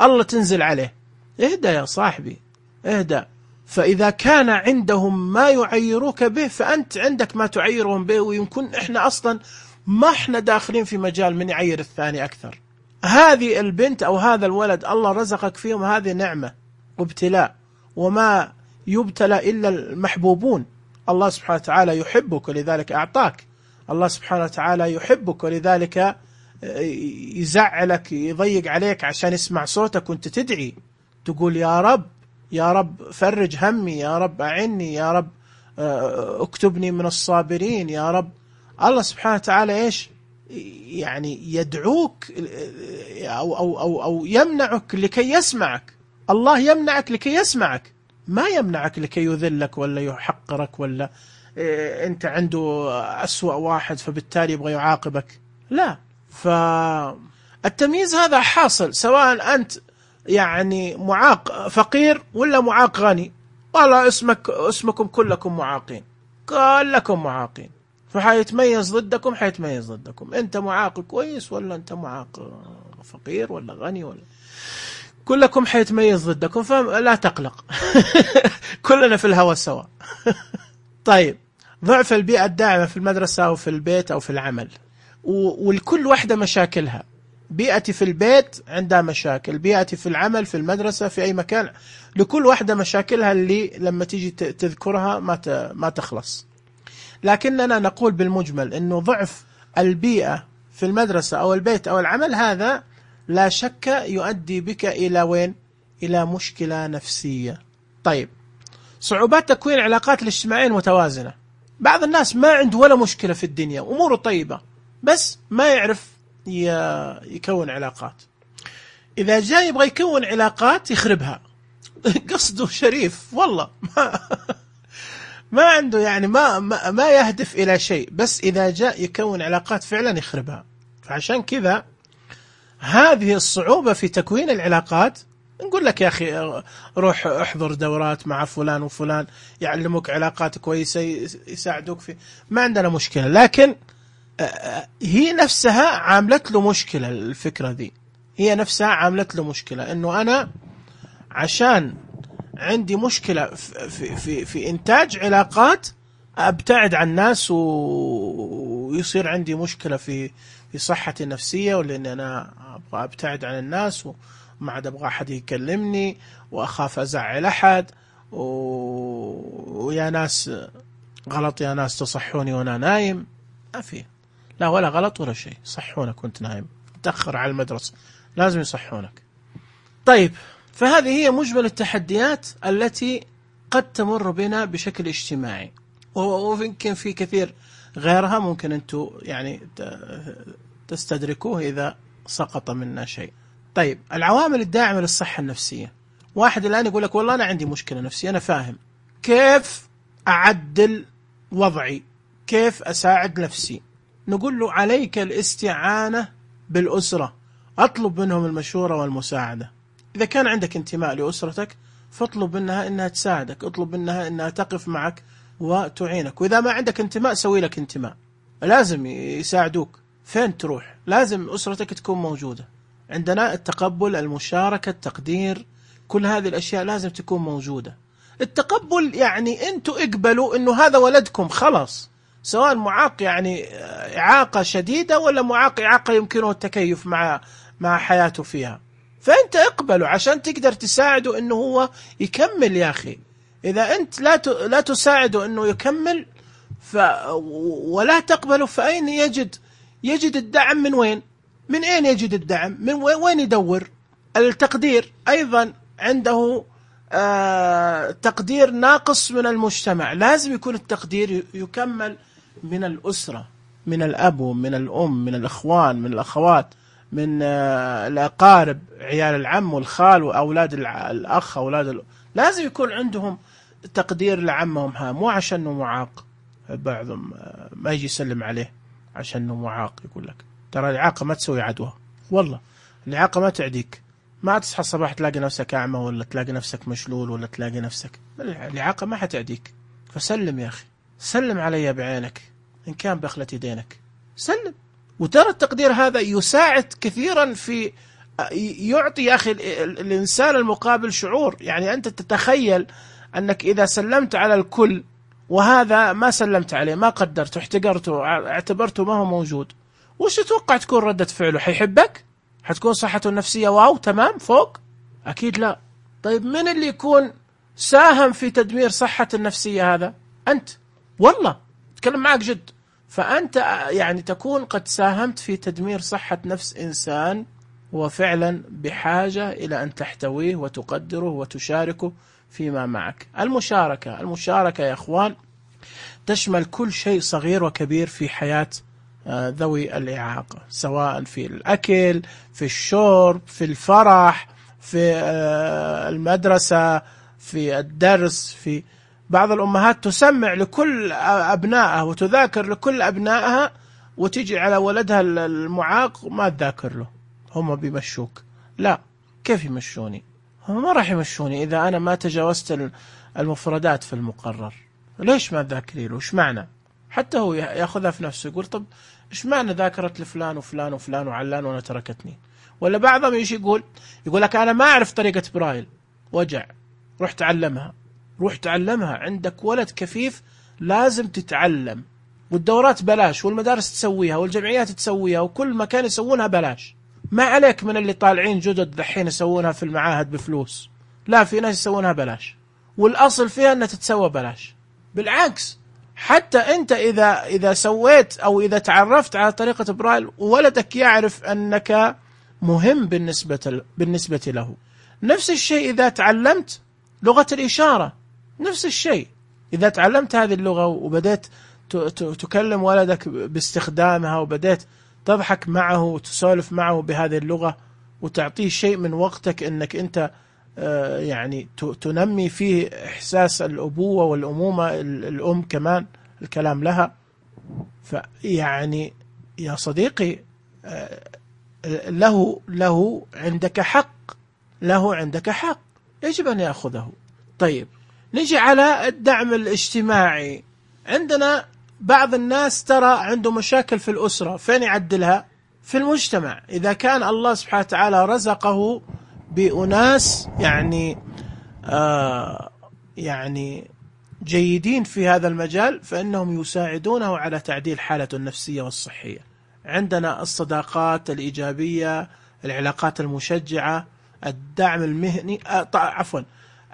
الله تنزل عليه. اهدى يا صاحبي، اهدى. فإذا كان عندهم ما يعيروك به فأنت عندك ما تعيرهم به، ويمكن إحنا أصلا ما إحنا داخلين في مجال من يعير الثاني أكثر. هذه البنت أو هذا الولد الله رزقك فيهم، هذه نعمة وابتلاء، وما يبتلى إلا المحبوبون. الله سبحانه وتعالى يحبك ولذلك أعطاك، الله سبحانه وتعالى يحبك ولذلك يزعلك يضيق عليك عشان يسمع صوتك وانت تدعي تقول يا رب، يا رب فرج همي، يا رب أعني، يا رب اكتبني من الصابرين، يا رب. الله سبحانه وتعالى إيش يعني يدعوك أو يمنعك لكي يسمعك. الله يمنعك لكي يسمعك، ما يمنعك لكي يذلك ولا يحقرك ولا أنت عنده أسوأ واحد فبالتالي يبغى يعاقبك، لا. فالتمييز هذا حاصل سواء أنت يعني معاق فقير ولا معاق غني. والله اسمكم كلكم معاقين، كلكم معاقين، فحيتميز ضدكم، حيتميز ضدكم. أنت معاق كويس ولا أنت معاق فقير ولا غني، ولا كلكم حيتميز ضدكم، فلا تقلق. كلنا في الهوى سوا. طيب، ضعف البيئة الداعمة في المدرسة أو في البيت أو في العمل، والكل واحدة مشاكلها. بيئتي في البيت عندها مشاكل، بيئتي في العمل في المدرسة في أي مكان، لكل واحدة مشاكلها اللي لما تيجي تذكرها ما تخلص. لكننا نقول بالمجمل أنه ضعف البيئة في المدرسة أو البيت أو العمل هذا لا شك يؤدي بك إلى وين؟ إلى مشكلة نفسية. طيب، صعوبات تكوين العلاقات الاجتماعية المتوازنة. بعض الناس ما عنده ولا مشكلة في الدنيا، أموره طيبة، بس ما يعرف يكون علاقات. إذا جاء يبغى يكون علاقات يخربها. قصده شريف والله، ما عنده يعني ما يهدف إلى شيء، بس إذا جاء يكون علاقات فعلا يخربها. فعشان كذا هذه الصعوبة في تكوين العلاقات. نقول لك يا أخي روح احضر دورات مع فلان وفلان يعلموك علاقات كويسة يساعدوك في، ما عندنا مشكلة. لكن هي نفسها عاملت له مشكلة. الفكرة دي هي نفسها عاملت له مشكلة، إنه أنا عشان عندي مشكلة في إنتاج علاقات أبتعد عن الناس ويصير عندي مشكلة في صحتي النفسية، ولأن أنا أبغى أبتعد عن الناس وما عاد أبغى أحد يكلمني وأخاف أزعل أحد، ويا ناس غلط، يا ناس تصحوني وأنا نايم. ما في، لا ولا غلط ولا شيء، صحونك وأنت نايم، تأخر على المدرسة لازم يصحونك. طيب، فهذه هي مجمل التحديات التي قد تمر بنا بشكل اجتماعي، ويمكن في كثير غيرها ممكن أنتم يعني تستدركوه إذا سقط منا شيء. طيب، العوامل الداعمة للصحة النفسية. واحد الآن يقول لك والله أنا عندي مشكلة نفسية، أنا فاهم كيف أعدل وضعي، كيف أساعد نفسي. نقول له عليك الاستعانة بالأسرة، أطلب منهم المشورة والمساعدة. إذا كان عندك انتماء لأسرتك فاطلب منها إنها تساعدك، اطلب منها إنها تقف معك وتعينك. وإذا ما عندك انتماء سوي لك انتماء، لازم يساعدوك. فين تروح؟ لازم أسرتك تكون موجودة. عندنا التقبل، المشاركة، التقدير، كل هذه الأشياء لازم تكون موجودة. التقبل يعني أنتوا اقبلوا إنه هذا ولدكم خلاص، سواء معاق يعني إعاقة شديدة ولا معاق إعاقة يمكنه التكيف مع حياته فيها، فأنت اقبله عشان تقدر تساعده إنه هو يكمل. يا أخي إذا أنت لا تساعده إنه يكمل ولا تقبله، فأين يجد الدعم؟ من وين؟ من أين يجد الدعم؟ من وين يدور؟ التقدير أيضا عنده تقدير ناقص من المجتمع، لازم يكون التقدير يكمل من الأسرة. من الأب ومن الأم، من الإخوان، من الأخوات، من الأقارب، عيال العم والخال وأولاد الأخ، لازم يكون عندهم تقدير لعمهم. مو عشانه معاق، بعضهم ما يجي يسلم عليه عشانه معاق. يقول لك ترى الإعاقة ما تسوي عدوى، والله الإعاقة ما تعديك. ما تصحى الصباح تلاقي نفسك أعمى، ولا تلاقي نفسك مشلول، ولا تلاقي نفسك، الإعاقة ما حتعديك. فسلم يا أخي، سلم علي بعينك، إن كان بخلة يدينك سلم. وترى التقدير هذا يساعد كثيرا في يعطي يا أخي الإنسان المقابل شعور. يعني أنت تتخيل أنك إذا سلمت على الكل وهذا ما سلمت عليه، ما قدرته، احتقرته، اعتبرته ما هو موجود، وش تتوقع تكون ردة فعله؟ حيحبك؟ حتكون صحته النفسية واو تمام فوق؟ أكيد لا. طيب من اللي يكون ساهم في تدمير صحة النفسية؟ هذا أنت، والله أتكلم معك جد. فأنت يعني تكون قد ساهمت في تدمير صحة نفس إنسان هو فعلا بحاجة إلى أن تحتويه وتقدره وتشاركه فيما معك. المشاركة يا أخوان تشمل كل شيء صغير وكبير في حياة ذوي الإعاقة، سواء في الأكل، في الشرب، في الفرح، في المدرسة، في الدرس. في بعض الأمهات تسمع لكل أبنائها وتذاكر لكل أبنائها، وتجي على ولدها المعاق ما تذاكر له. هم بيمشوك. لا، كيف يمشوني؟ هم ما راح يمشوني إذا أنا ما تجاوزت المفردات في المقرر. ليش ما تذاكري له؟ إيش معنى؟ حتى هو يأخذها في نفسه، يقول طب إيش معنى ذاكرت لفلان وفلان وفلان وعلان وأنا تركتني؟ ولا بعضهم يجي يقول لك أنا ما أعرف طريقة برايل، وجع، روح تعلمها. عندك ولد كفيف لازم تتعلم، والدورات بلاش، والمدارس تسويها، والجمعيات تسويها، وكل مكان يسوونها بلاش. ما عليك من اللي طالعين جدد دحين يسوونها في المعاهد بفلوس، لا، في ناس يسوونها بلاش، والأصل فيها أنها تتسوى بلاش. بالعكس، حتى أنت إذا سويت أو إذا تعرفت على طريقة برايل وولدك يعرف أنك مهم بالنسبة له. نفس الشيء إذا تعلمت لغة الإشارة، نفس الشيء إذا تعلمت هذه اللغة وبدأت تكلم ولدك باستخدامها، وبدأت تضحك معه وتسولف معه بهذه اللغة، وتعطيه شيء من وقتك أنك أنت يعني تنمي فيه إحساس الأبوة والأمومة، الأم كمان الكلام لها. فيعني يا صديقي له عندك حق يجب أن يأخذه. طيب نجي على الدعم الاجتماعي. عندنا بعض الناس ترى عنده مشاكل في الأسرة، فين يعدلها؟ في المجتمع. إذا كان الله سبحانه وتعالى رزقه بأناس يعني جيدين في هذا المجال، فإنهم يساعدونه على تعديل حالته النفسية والصحية. عندنا الصداقات الإيجابية، العلاقات المشجعة، الدعم المهني،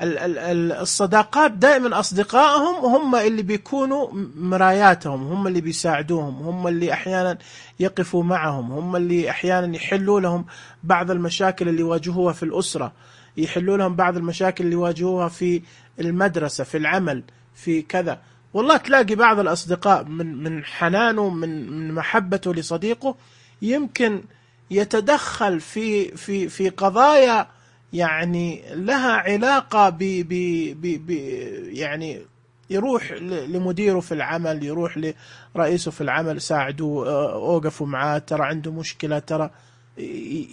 الصداقات دائما أصدقائهم هم اللي بيكونوا مراياتهم، هم اللي بيساعدوهم، هم اللي أحيانا يقفوا معهم، هم اللي أحيانا يحلوا لهم بعض المشاكل اللي يواجهوها في الأسرة، يحلوا لهم بعض المشاكل اللي يواجهوها في المدرسة، في العمل، في كذا. والله تلاقي بعض الأصدقاء من حنانه، من محبته لصديقه، يمكن يتدخل في قضايا يعني لها علاقة يعني يروح لمديره في العمل، يروح لرئيسه في العمل، ساعدوه، اوقفوا معاه، ترى عنده مشكلة، ترى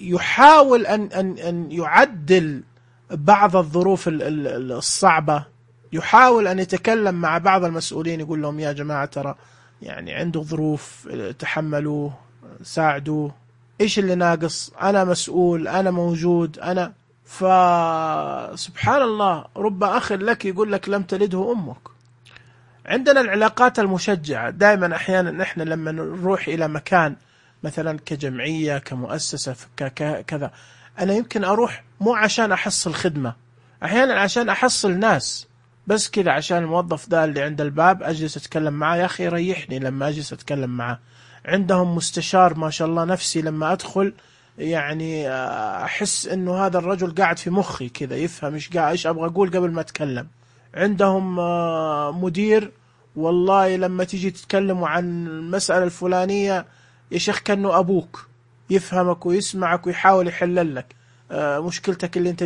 يحاول أن يعدل بعض الظروف الصعبة، يحاول أن يتكلم مع بعض المسؤولين، يقول لهم يا جماعة ترى يعني عنده ظروف، تحملوه، ساعدوه، إيش اللي ناقص، أنا مسؤول، أنا موجود، أنا. فسبحان الله، رب أخ لك يقول لك لم تلده أمك. عندنا العلاقات المشجعة. دائما أحيانا نحن لما نروح إلى مكان مثلا كجمعية، كمؤسسة، كذا، أنا يمكن أروح مو عشان أحصل خدمة، أحيانا عشان أحصل ناس، بس كذا عشان الموظف ده اللي عند الباب أجلس أتكلم معاه، يا أخي يريحني لما أجلس أتكلم معاه. عندهم مستشار ما شاء الله نفسي، لما أدخل يعني أحس إنه هذا الرجل قاعد في مخي كذا، يفهم إيش أبغى أقول قبل ما أتكلم. عندهم مدير والله لما تيجي تتكلموا عن المسألة الفلانية يا شيخ كأنه أبوك، يفهمك ويسمعك ويحاول يحلل لك مشكلتك اللي انت.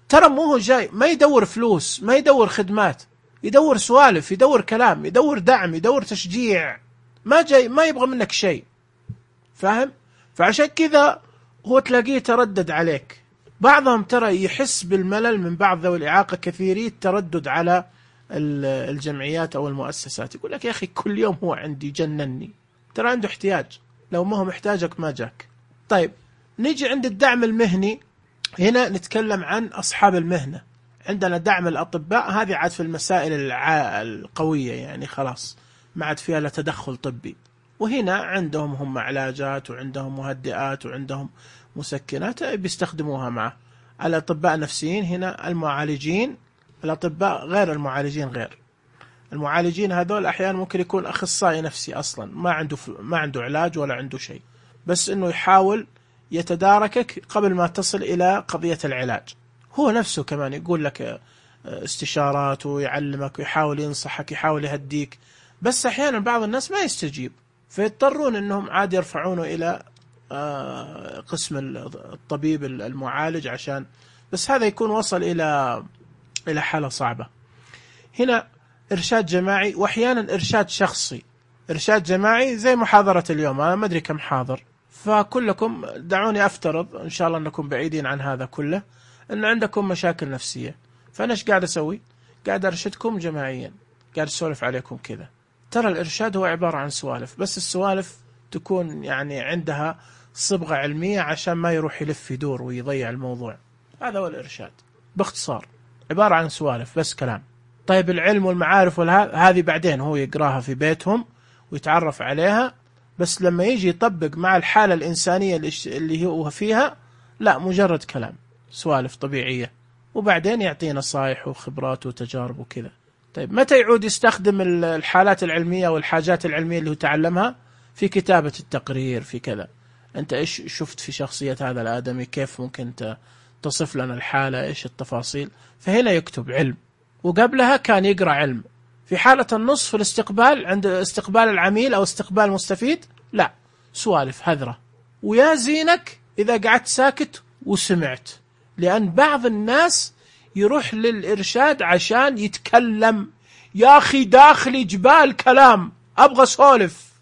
ترى مو هو جاي ما يدور فلوس، ما يدور خدمات، يدور سوالف، يدور كلام، يدور دعم، يدور تشجيع، ما جاي ما يبغى منك شيء، فاهم؟ فعشان كذا هو تلاقيه تردد عليك. بعضهم ترى يحس بالملل من بعض ذوي الإعاقة، كثيري التردد على الجمعيات أو المؤسسات، يقول لك يا أخي كل يوم هو عندي جنني. ترى عنده احتياج، لو ما هو محتاجك ما جاك. طيب نيجي عند الدعم المهني. هنا نتكلم عن أصحاب المهنة. عندنا دعم الأطباء، هذه عاد في المسائل القوية، يعني خلاص ما عاد فيها لا تدخل طبي. وهنا عندهم هم علاجات وعندهم مهدئات وعندهم مسكنات بيستخدموها معه. الأطباء النفسيين هنا المعالجين، الأطباء غير المعالجين غير. المعالجين هذول أحيانا ممكن يكون أخصائي نفسي أصلا ما عنده علاج ولا عنده شيء، بس إنه يحاول يتداركك قبل ما تصل إلى قضية العلاج. هو نفسه كمان يقول لك استشارات ويعلمك ويحاول ينصحك، يحاول يهديك، بس أحيانا بعض الناس ما يستجيب، فيضطرون إنهم عاد يرفعونه إلى قسم الطبيب المعالج عشان بس هذا يكون وصل إلى حالة صعبة. هنا إرشاد جماعي، وأحيانا إرشاد شخصي. إرشاد جماعي زي محاضرة اليوم، أنا ما أدري كم حاضر، فكلكم دعوني أفترض إن شاء الله أنكم بعيدين عن هذا كله، أن عندكم مشاكل نفسية، فأنا إيش قاعد أسوي؟ قاعد أرشدكم جماعيا، قاعد أسولف عليكم كذا. ترى الإرشاد هو عبارة عن سوالف، بس السوالف تكون يعني عندها صبغة علمية عشان ما يروح يلف يدور ويضيع الموضوع. هذا هو الإرشاد باختصار، عبارة عن سوالف بس كلام. طيب العلم والمعارف هذه بعدين هو يقراها في بيتهم ويتعرف عليها، بس لما يجي يطبق مع الحالة الإنسانية اللي هو فيها لا، مجرد كلام، سوالف طبيعية، وبعدين يعطي نصائح وخبرات وتجارب وكذا. طيب متى يعود يستخدم الحالات العلمية والحاجات العلمية اللي هو تعلمها؟ في كتابة التقرير، في كذا. أنت إيش شفت في شخصية هذا الآدمي، كيف ممكن تصف لنا الحالة، إيش التفاصيل؟ فهنا يكتب علم، وقبلها كان يقرأ علم. في حالة النص في الاستقبال، عند استقبال العميل أو استقبال المستفيد، لا، سوالف هذرة. ويا زينك إذا قعدت ساكت وسمعت، لأن بعض الناس يروح للإرشاد عشان يتكلم، يا أخي داخلي جبال كلام أبغى سولف،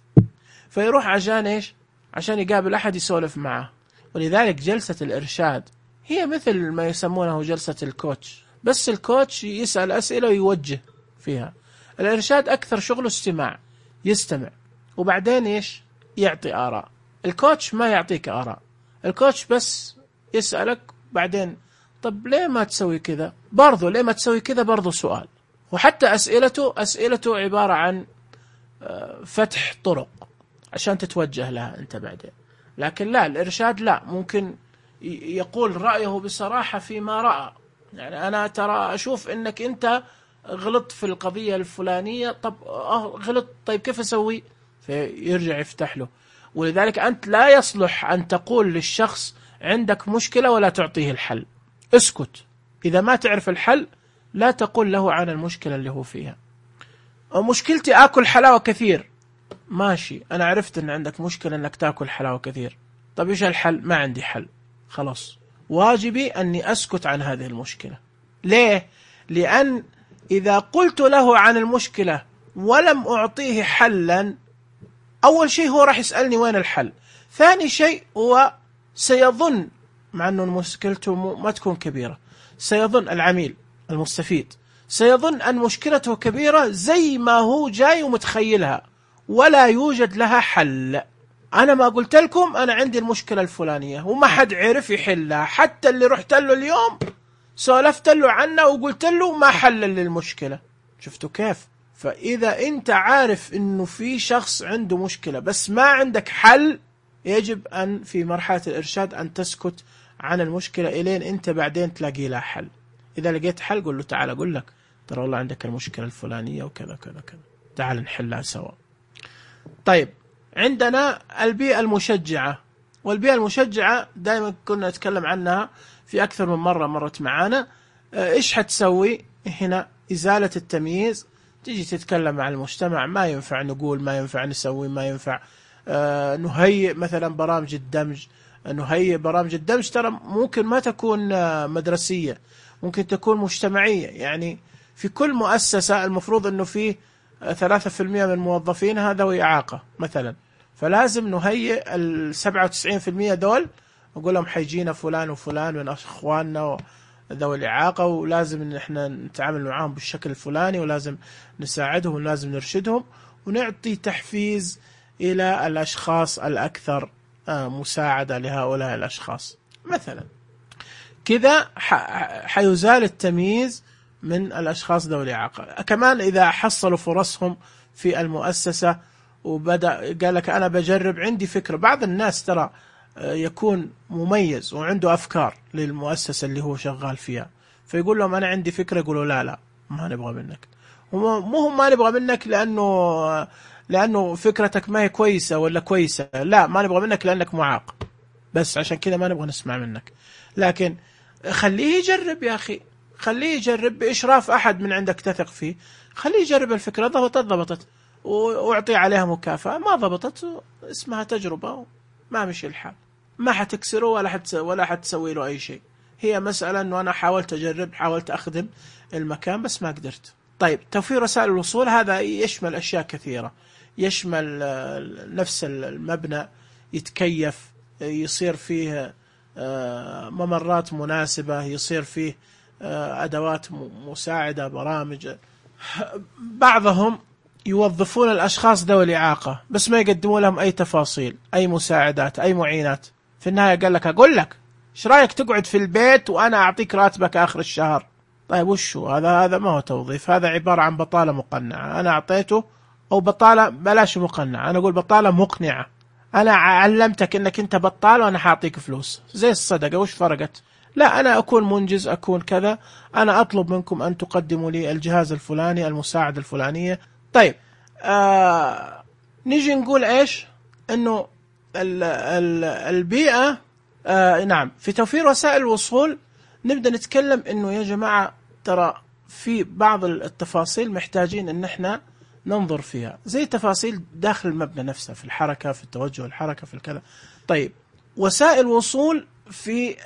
فيروح عشان إيش؟ عشان يقابل أحد يسولف معه. ولذلك جلسة الإرشاد هي مثل ما يسمونه جلسة الكوتش، بس الكوتش يسأل أسئلة ويوجه فيها. الإرشاد أكثر شغله استماع، يستمع وبعدين إيش؟ يعطي آراء. الكوتش ما يعطيك آراء، الكوتش بس يسألك بعدين طب ليه ما تسوي كذا، برضو ليه ما تسوي كذا، برضو سؤال. وحتى أسئلته عبارة عن فتح طرق عشان تتوجه لها أنت بعدين. لكن لا، الإرشاد لا، ممكن يقول رأيه بصراحة فيما رأى. يعني أنا ترى أشوف إنك أنت غلط في القضية الفلانية، طب غلط، طيب كيف أسوي؟ فيرجع يفتح له. ولذلك أنت لا يصلح أن تقول للشخص عندك مشكلة ولا تعطيه الحل، اسكت. إذا ما تعرف الحل لا تقول له عن المشكلة اللي هو فيها. مشكلتي آكل حلاوة كثير، ماشي، أنا عرفت أن عندك مشكلة أنك تأكل حلاوة كثير، طب إيش الحل؟ ما عندي حل، خلاص، واجبي أني أسكت عن هذه المشكلة. ليه؟ لأن إذا قلت له عن المشكلة ولم أعطيه حلا، أول شيء هو راح يسألني وين الحل، ثاني شيء هو سيظن، مع أنه مشكلته ما تكون كبيرة، سيظن العميل المستفيد سيظن أن مشكلته كبيرة زي ما هو جاي ومتخيلها، ولا يوجد لها حل. أنا ما قلت لكم أنا عندي المشكلة الفلانية وما حد عرف يحلها، حتى اللي رحت له اليوم سولفت له عنه وقلت له ما حل للمشكلة. شفتوا كيف؟ فإذا أنت عارف أنه في شخص عنده مشكلة بس ما عندك حل، يجب أن في مرحلة الإرشاد أن تسكت عن المشكلة إلين أنت بعدين تلاقي لها حل. إذا لقيت حل قل له تعال أقول لك ترى والله عندك المشكلة الفلانية وكذا كذا كذا، تعال نحلها سوا. طيب عندنا البيئة المشجعة، والبيئة المشجعة دائما كنا نتكلم عنها في أكثر من مرة، مرت معانا. إيش حتسوي هنا؟ إزالة التمييز، تيجي تتكلم مع المجتمع، ما ينفع نقول، ما ينفع نسوي، ما ينفع نهيئ مثلا برامج الدمج. نهيئ برامج الدمج ترى ممكن ما تكون مدرسية، ممكن تكون مجتمعية. يعني في كل مؤسسة المفروض أنه فيه 3% من موظفينها ذوي إعاقة مثلا، فلازم نهيئ 97% دول، نقول لهم حيجينا فلان وفلان من أخواننا ذوي الإعاقة، ولازم إن إحنا نتعامل معهم بالشكل الفلاني، ولازم نساعدهم، ولازم نرشدهم، ونعطي تحفيز إلى الأشخاص الأكثر مساعدة لهؤلاء الأشخاص مثلا. كذا حيزال التمييز من الأشخاص ذوي الإعاقة. كمان إذا حصلوا فرصهم في المؤسسة وبدأ قال لك أنا بجرب، عندي فكرة. بعض الناس ترى يكون مميز وعنده أفكار للمؤسسة اللي هو شغال فيها، فيقول لهم أنا عندي فكرة، يقولوا لا لا ما نبغى منك. مو ما نبغى منك لأنه فكرتك ما هي كويسة ولا كويسة، لا، ما نبغى منك لأنك معاق، بس عشان كذا ما نبغى نسمع منك. لكن خليه يجرب يا أخي، خليه يجرب بإشراف أحد من عندك تثق فيه، خليه يجرب الفكرة، ضبطت واعطيه عليها مكافأة، ما ضبطت اسمها تجربة، ما مشي الحال، ما حتكسره ولا حتسوي له أي شيء. هي مسألة أنه أنا حاولت أجرب، حاولت أخدم المكان بس ما قدرت. طيب، توفير وسائل الوصول هذا يشمل أشياء كثيرة، يشمل نفس المبنى يتكيف، يصير فيه ممرات مناسبة، يصير فيه أدوات مساعدة، برامج. بعضهم يوظفون الأشخاص ذوي الإعاقة بس ما يقدموا لهم أي تفاصيل، أي مساعدات، أي معينات. في النهاية قال لك أقول لك إيش رأيك تقعد في البيت وأنا أعطيك راتبك آخر الشهر. طيب وشو هذا؟ ما هو توظيف، هذا عبارة عن بطالة مقنعة. أنا أعطيته، أو بطالة بلاش مقنعة، أنا أقول بطالة مقنعة. أنا علمتك إنك أنت بطال وأنا حاعطيك فلوس زي الصدقة، وش فرقت؟ لا، أنا أكون منجز، أكون كذا، أنا أطلب منكم أن تقدموا لي الجهاز الفلاني، المساعدة الفلانية. طيب، نيجي نقول إيش؟ إنه البيئة، نعم، في توفير وسائل الوصول نبدأ نتكلم إنه يا جماعة ترى في بعض التفاصيل محتاجين إن إحنا ننظر فيها، زي تفاصيل داخل المبنى نفسه، في الحركة، في التوجه، الحركة، في الكذا. طيب، وسائل وصول في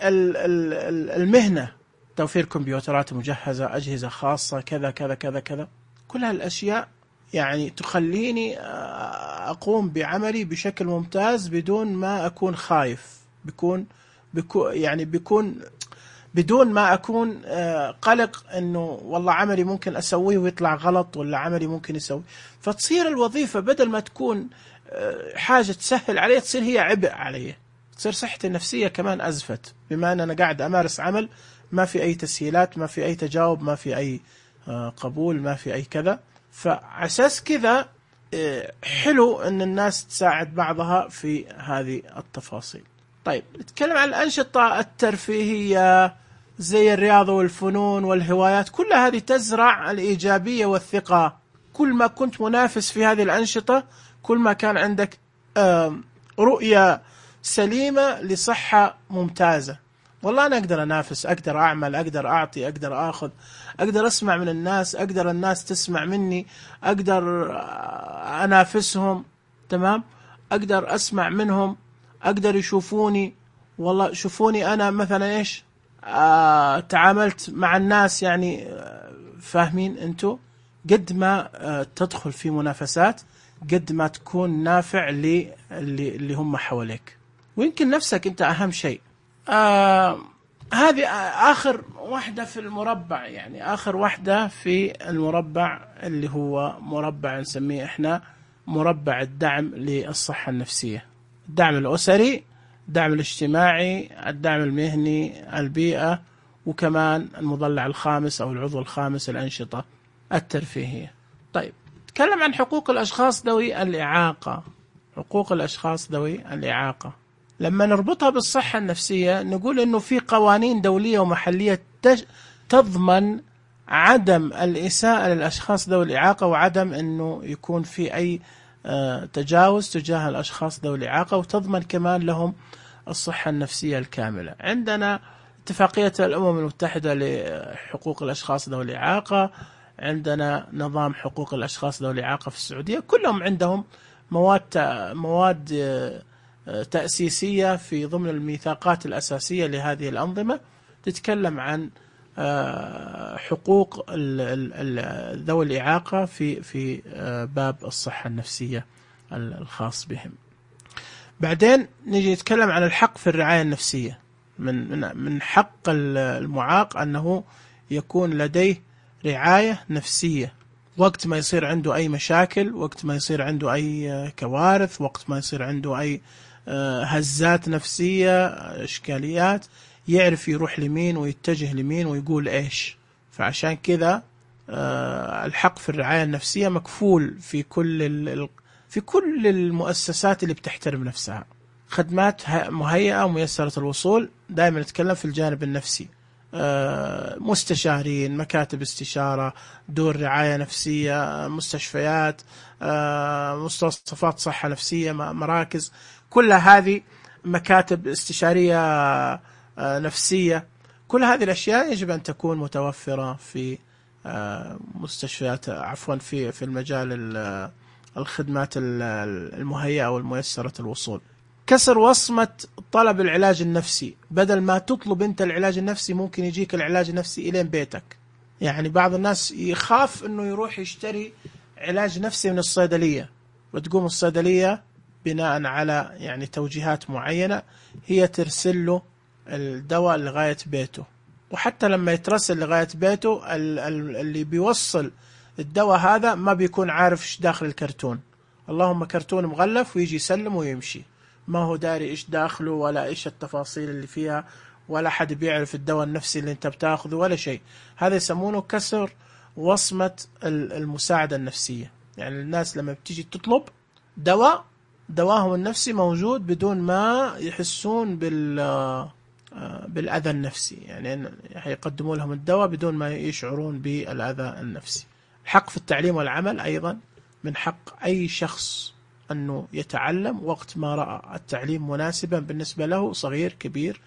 المهنة، توفير كمبيوترات مجهزة، أجهزة خاصة، كذا كذا كذا كذا، كل هالأشياء يعني تخليني أقوم بعملي بشكل ممتاز بدون ما أكون خايف، بيكون بدون ما أكون قلق إنه والله عملي ممكن أسويه ويطلع غلط، ولا عملي ممكن يسوي. فتصير الوظيفة بدل ما تكون حاجة تسهل علي، تصير هي عبء علي، تصير صحتي النفسية كمان أزفت، بما أن أنا قاعد أمارس عمل ما في أي تسهيلات، ما في أي تجاوب، ما في أي قبول، ما في أي كذا. فعساس كذا حلو أن الناس تساعد بعضها في هذه التفاصيل. طيب، نتكلم عن الأنشطة الترفيهية زي الرياضة والفنون والهوايات، كل هذه تزرع الإيجابية والثقة. كل ما كنت منافس في هذه الأنشطة، كل ما كان عندك رؤية سليمة لصحة ممتازة. والله أنا أقدر أنافس، أقدر أعمل، أقدر أعطي، أقدر أخذ، أقدر أسمع من الناس، أقدر الناس تسمع مني، أقدر أنافسهم، تمام، أقدر أسمع منهم، أقدر يشوفوني. والله شوفوني أنا مثلا إيش تعاملت مع الناس، يعني فاهمين أنتوا؟ قد ما تدخل في منافسات قد ما تكون نافع اللي هم حواليك، ويمكن نفسك أنت أهم شيء. هذه آخر واحدة في المربع، يعني آخر واحدة في المربع اللي هو مربع نسميه إحنا مربع الدعم للصحة النفسية: الدعم الأسري، الدعم الاجتماعي، الدعم المهني، البيئة، وكمان المضلع الخامس أو العضو الخامس الأنشطة الترفيهية. طيب، نتكلم عن حقوق الأشخاص ذوي الإعاقة. حقوق الأشخاص ذوي الإعاقة لما نربطها بالصحة النفسية نقول إنه في قوانين دولية ومحلية تضمن عدم الإساءة للأشخاص ذوي الإعاقة، وعدم إنه يكون في أي تجاوز تجاه الأشخاص ذوي الإعاقة، وتضمن كمان لهم الصحة النفسية الكاملة. عندنا اتفاقية الأمم المتحدة لحقوق الأشخاص ذوي الإعاقة، عندنا نظام حقوق الأشخاص ذوي الإعاقة في السعودية، كلهم عندهم مواد تأسيسية في ضمن الميثاقات الأساسية لهذه الأنظمة تتكلم عن حقوق ذوي الإعاقة في باب الصحة النفسية الخاص بهم. بعدين نجي نتكلم عن الحق في الرعاية النفسية. من حق المعاق أنه يكون لديه رعاية نفسية وقت ما يصير عنده أي مشاكل، وقت ما يصير عنده أي كوارث، وقت ما يصير عنده أي هزات نفسية، إشكاليات، يعرف يروح لمين ويتجه لمين ويقول إيش. فعشان كذا الحق في الرعاية النفسية مكفول في كل المؤسسات اللي بتحترم نفسها. خدمات مهيئة وميسرة الوصول، دائما نتكلم في الجانب النفسي، مستشارين، مكاتب استشارة، دور رعاية نفسية، مستشفيات، مستوصفات صحة نفسية، مراكز، كل هذه مكاتب استشارية نفسية. كل هذه الأشياء يجب أن تكون متوفرة في مستشفيات، عفوا في المجال الخدمات المهيئة والميسرة الوصول. كسر وصمة طلب العلاج النفسي، بدل ما تطلب أنت العلاج النفسي ممكن يجيك العلاج النفسي إلين بيتك. يعني بعض الناس يخاف أنه يروح يشتري علاج نفسي من الصيدلية، وتقوم الصيدلية بناء على يعني توجيهات معينة هي ترسل له الدواء لغاية بيته. وحتى لما يترسل لغاية بيته اللي بيوصل الدواء هذا ما بيكون عارف ايش داخل الكرتون، اللهم كرتون مغلف، ويجي يسلم ويمشي، ما هو داري ايش داخله ولا ايش التفاصيل اللي فيها، ولا حد بيعرف الدواء النفسي اللي انت بتاخذه ولا شيء. هذا يسمونه كسر وصمة المساعدة النفسية. يعني الناس لما بتيجي تطلب دواهم النفسي موجود بدون ما يحسون بالأذى النفسي، يعني هيقدموا لهم الدواء بدون ما يشعرون بالأذى النفسي. الحق في التعليم والعمل أيضا من حق أي شخص أنه يتعلم وقت ما رأى التعليم مناسبا بالنسبة له، صغير كبير،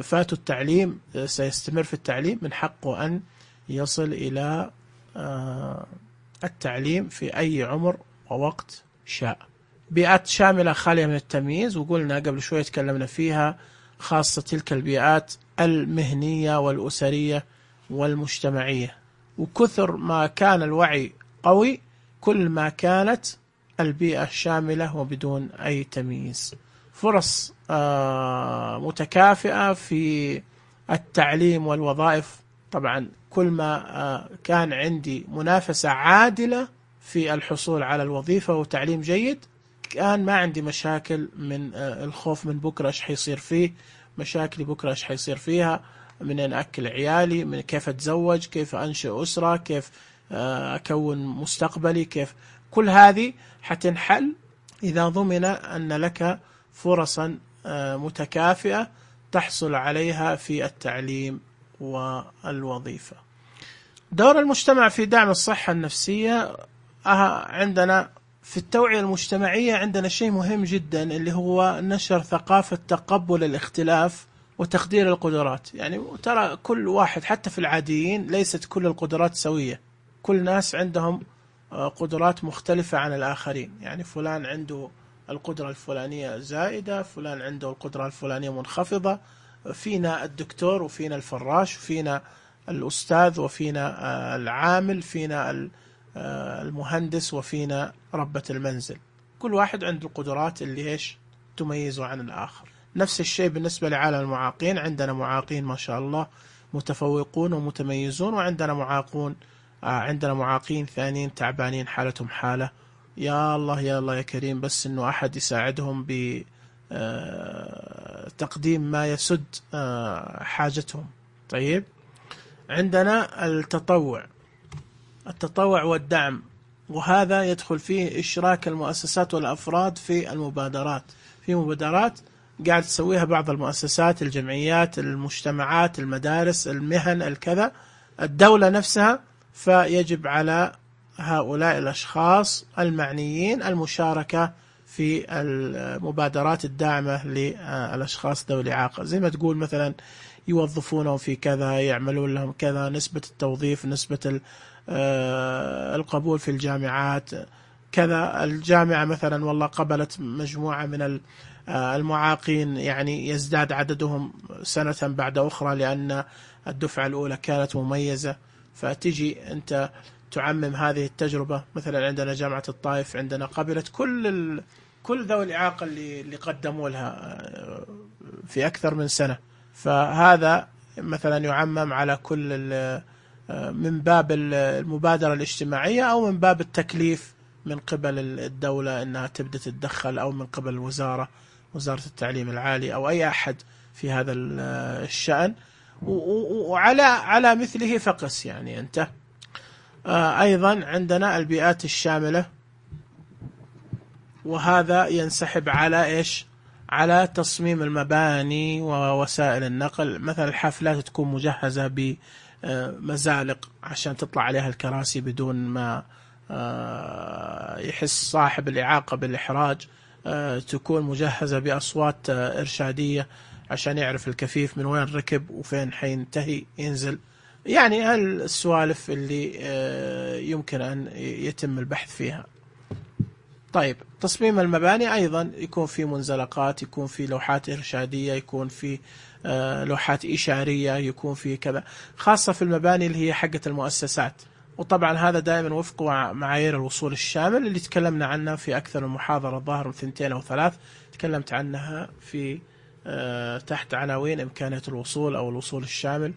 فاته التعليم سيستمر في التعليم، من حقه أن يصل إلى التعليم في أي عمر ووقت شاء. بيئات شاملة خالية من التمييز، وقلنا قبل شوية تكلمنا فيها، خاصة تلك البيئات المهنية والأسرية والمجتمعية. وكثر ما كان الوعي قوي كل ما كانت البيئة شاملة وبدون أي تمييز. فرص متكافئة في التعليم والوظائف. طبعا كل ما كان عندي منافسة عادلة في الحصول على الوظيفة وتعليم جيد، كان ما عندي مشاكل من الخوف من بكرة ايش حيصير فيه، مشاكلي بكرة ايش حيصير فيها، من أن أكل عيالي، من كيف أتزوج، كيف أنشئ أسرة، كيف أكون مستقبلي، كيف كل هذه حتنحل إذا ضمن أن لك فرصا متكافئة تحصل عليها في التعليم والوظيفة. دور المجتمع في دعم الصحة النفسية. عندنا في التوعية المجتمعية عندنا شيء مهم جدا اللي هو نشر ثقافة تقبل الاختلاف وتقدير القدرات. يعني ترى كل واحد حتى في العاديين ليست كل القدرات سوية، كل ناس عندهم قدرات مختلفة عن الآخرين. يعني فلان عنده القدرة الفلانية زائدة، فلان عنده القدرة الفلانية منخفضة، فينا الدكتور وفينا الفراش وفينا الأستاذ وفينا العامل، فينا المهندس وفينا ربة المنزل. كل واحد عنده القدرات اللي إيش تميزه عن الآخر. نفس الشيء بالنسبة لعالم المعاقين، عندنا معاقين ما شاء الله متفوقون ومتميزون، وعندنا عندنا معاقين ثانيين تعبانين حالتهم حالة يا الله يا الله يا كريم، بس إنه أحد يساعدهم بتقديم ما يسد حاجتهم. طيب، عندنا التطوع والدعم، وهذا يدخل فيه إشراك المؤسسات والأفراد في المبادرات. في مبادرات قاعد تسويها بعض المؤسسات، الجمعيات، المجتمعات، المدارس، المهن، الكذا، الدولة نفسها، فيجب على هؤلاء الأشخاص المعنيين المشاركة في المبادرات الداعمة للأشخاص ذوي الإعاقة. زي ما تقول مثلا يوظفونهم في كذا، يعملون لهم كذا، نسبة التوظيف، نسبة القبول في الجامعات كذا. الجامعة مثلا والله قبلت مجموعة من المعاقين، يعني يزداد عددهم سنة بعد أخرى لأن الدفعة الأولى كانت مميزة، فتجي أنت تعمم هذه التجربة. مثلا عندنا جامعة الطائف عندنا قبلت كل ذوي الإعاقة اللي قدموا لها في أكثر من سنة، فهذا مثلا يعمم على كل من باب المبادرة الاجتماعية أو من باب التكليف من قبل الدولة أنها تبدأ تتدخل، أو من قبل وزارة التعليم العالي أو أي أحد في هذا الشأن. وعلى مثله فقس يعني أنت. أيضا عندنا البيئات الشاملة، وهذا ينسحب على إيش؟ على تصميم المباني ووسائل النقل. مثلا الحافلات تكون مجهزة بمزالق عشان تطلع عليها الكراسي بدون ما يحس صاحب الإعاقة بالإحراج، تكون مجهزة بأصوات إرشادية عشان يعرف الكفيف من وين ركب وفين حينتهي ينزل. يعني هالسوالف اللي يمكن أن يتم البحث فيها. طيب، تصميم المباني أيضا يكون في منزلقات، يكون في لوحات إرشادية، يكون في لوحات إشارية، يكون في كذا، خاصة في المباني اللي هي حقة المؤسسات. وطبعا هذا دائما وفق معايير الوصول الشامل اللي تكلمنا عنها في أكثر من محاضرة، الظاهر 2 أو 3 تكلمت عنها في تحت عناوين إمكانية الوصول أو الوصول الشامل.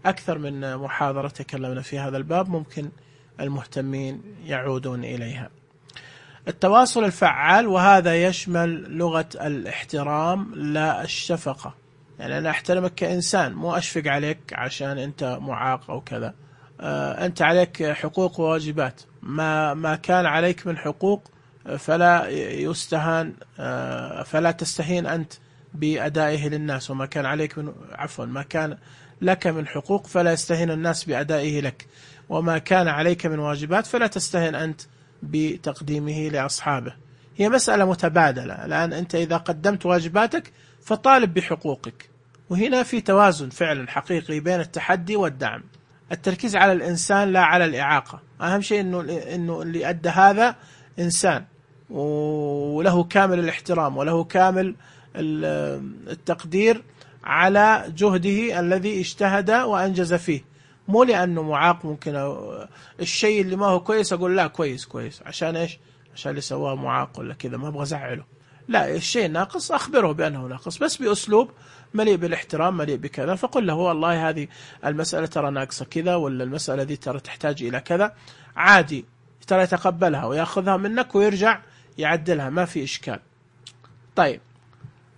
أكثر من محاضرة تكلمنا في هذا الباب، ممكن المهتمين يعودون إليها. التواصل الفعال، وهذا يشمل لغة الاحترام لا الشفقة. يعني أنا أحترمك كإنسان، مو أشفق عليك عشان أنت معاق أو كذا. أنت عليك حقوق وواجبات، ما كان عليك من حقوق فلا يستهان، فلا تستهين أنت بأدائه للناس، وما كان عليك من ما كان لك من حقوق فلا يستهين الناس بأدائه لك، وما كان عليك من واجبات فلا تستهين أنت بتقديمه لأصحابه. هي مسألة متبادلة. الآن أنت إذا قدمت واجباتك فطالب بحقوقك، وهنا في توازن فعلا حقيقي بين التحدي والدعم. التركيز على الإنسان لا على الإعاقة. أهم شيء إنه اللي أدى هذا إنسان، وله كامل الاحترام وله كامل التقدير على جهده الذي اجتهد وأنجز فيه. مو لأنه معاق ممكن الشيء اللي ما هو كويس أقول لا كويس عشان إيش؟ عشان اللي سواه معاق ولا كذا، ما أبغى أزعله. لا، الشيء ناقص أخبره بأنه ناقص، بس بأسلوب مليء بالاحترام، مليء بكذا. فقل له والله هذه المسألة ترى ناقصة كذا، ولا المسألة دي ترى تحتاج إلى كذا، عادي ترى يتقبلها ويأخذها منك ويرجع يعدلها، ما في إشكال. طيب،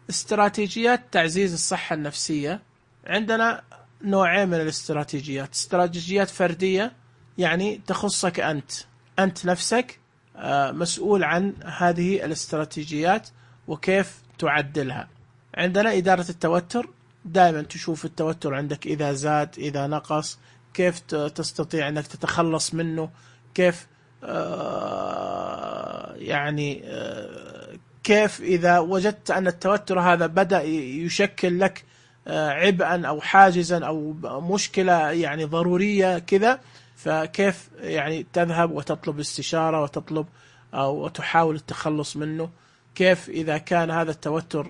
استراتيجيات تعزيز الصحة النفسية. عندنا نوعين من الاستراتيجيات. استراتيجيات فردية، يعني تخصك أنت نفسك مسؤول عن هذه الاستراتيجيات وكيف تعدلها. عندنا إدارة التوتر، دائما تشوف التوتر عندك إذا زاد إذا نقص، كيف تستطيع أنك تتخلص منه، كيف كيف إذا وجدت أن التوتر هذا بدأ يشكل لك عبئا أو حاجزا أو مشكلة يعني ضرورية كذا، فكيف يعني تذهب وتطلب استشارة وتطلب أو تحاول التخلص منه. كيف إذا كان هذا التوتر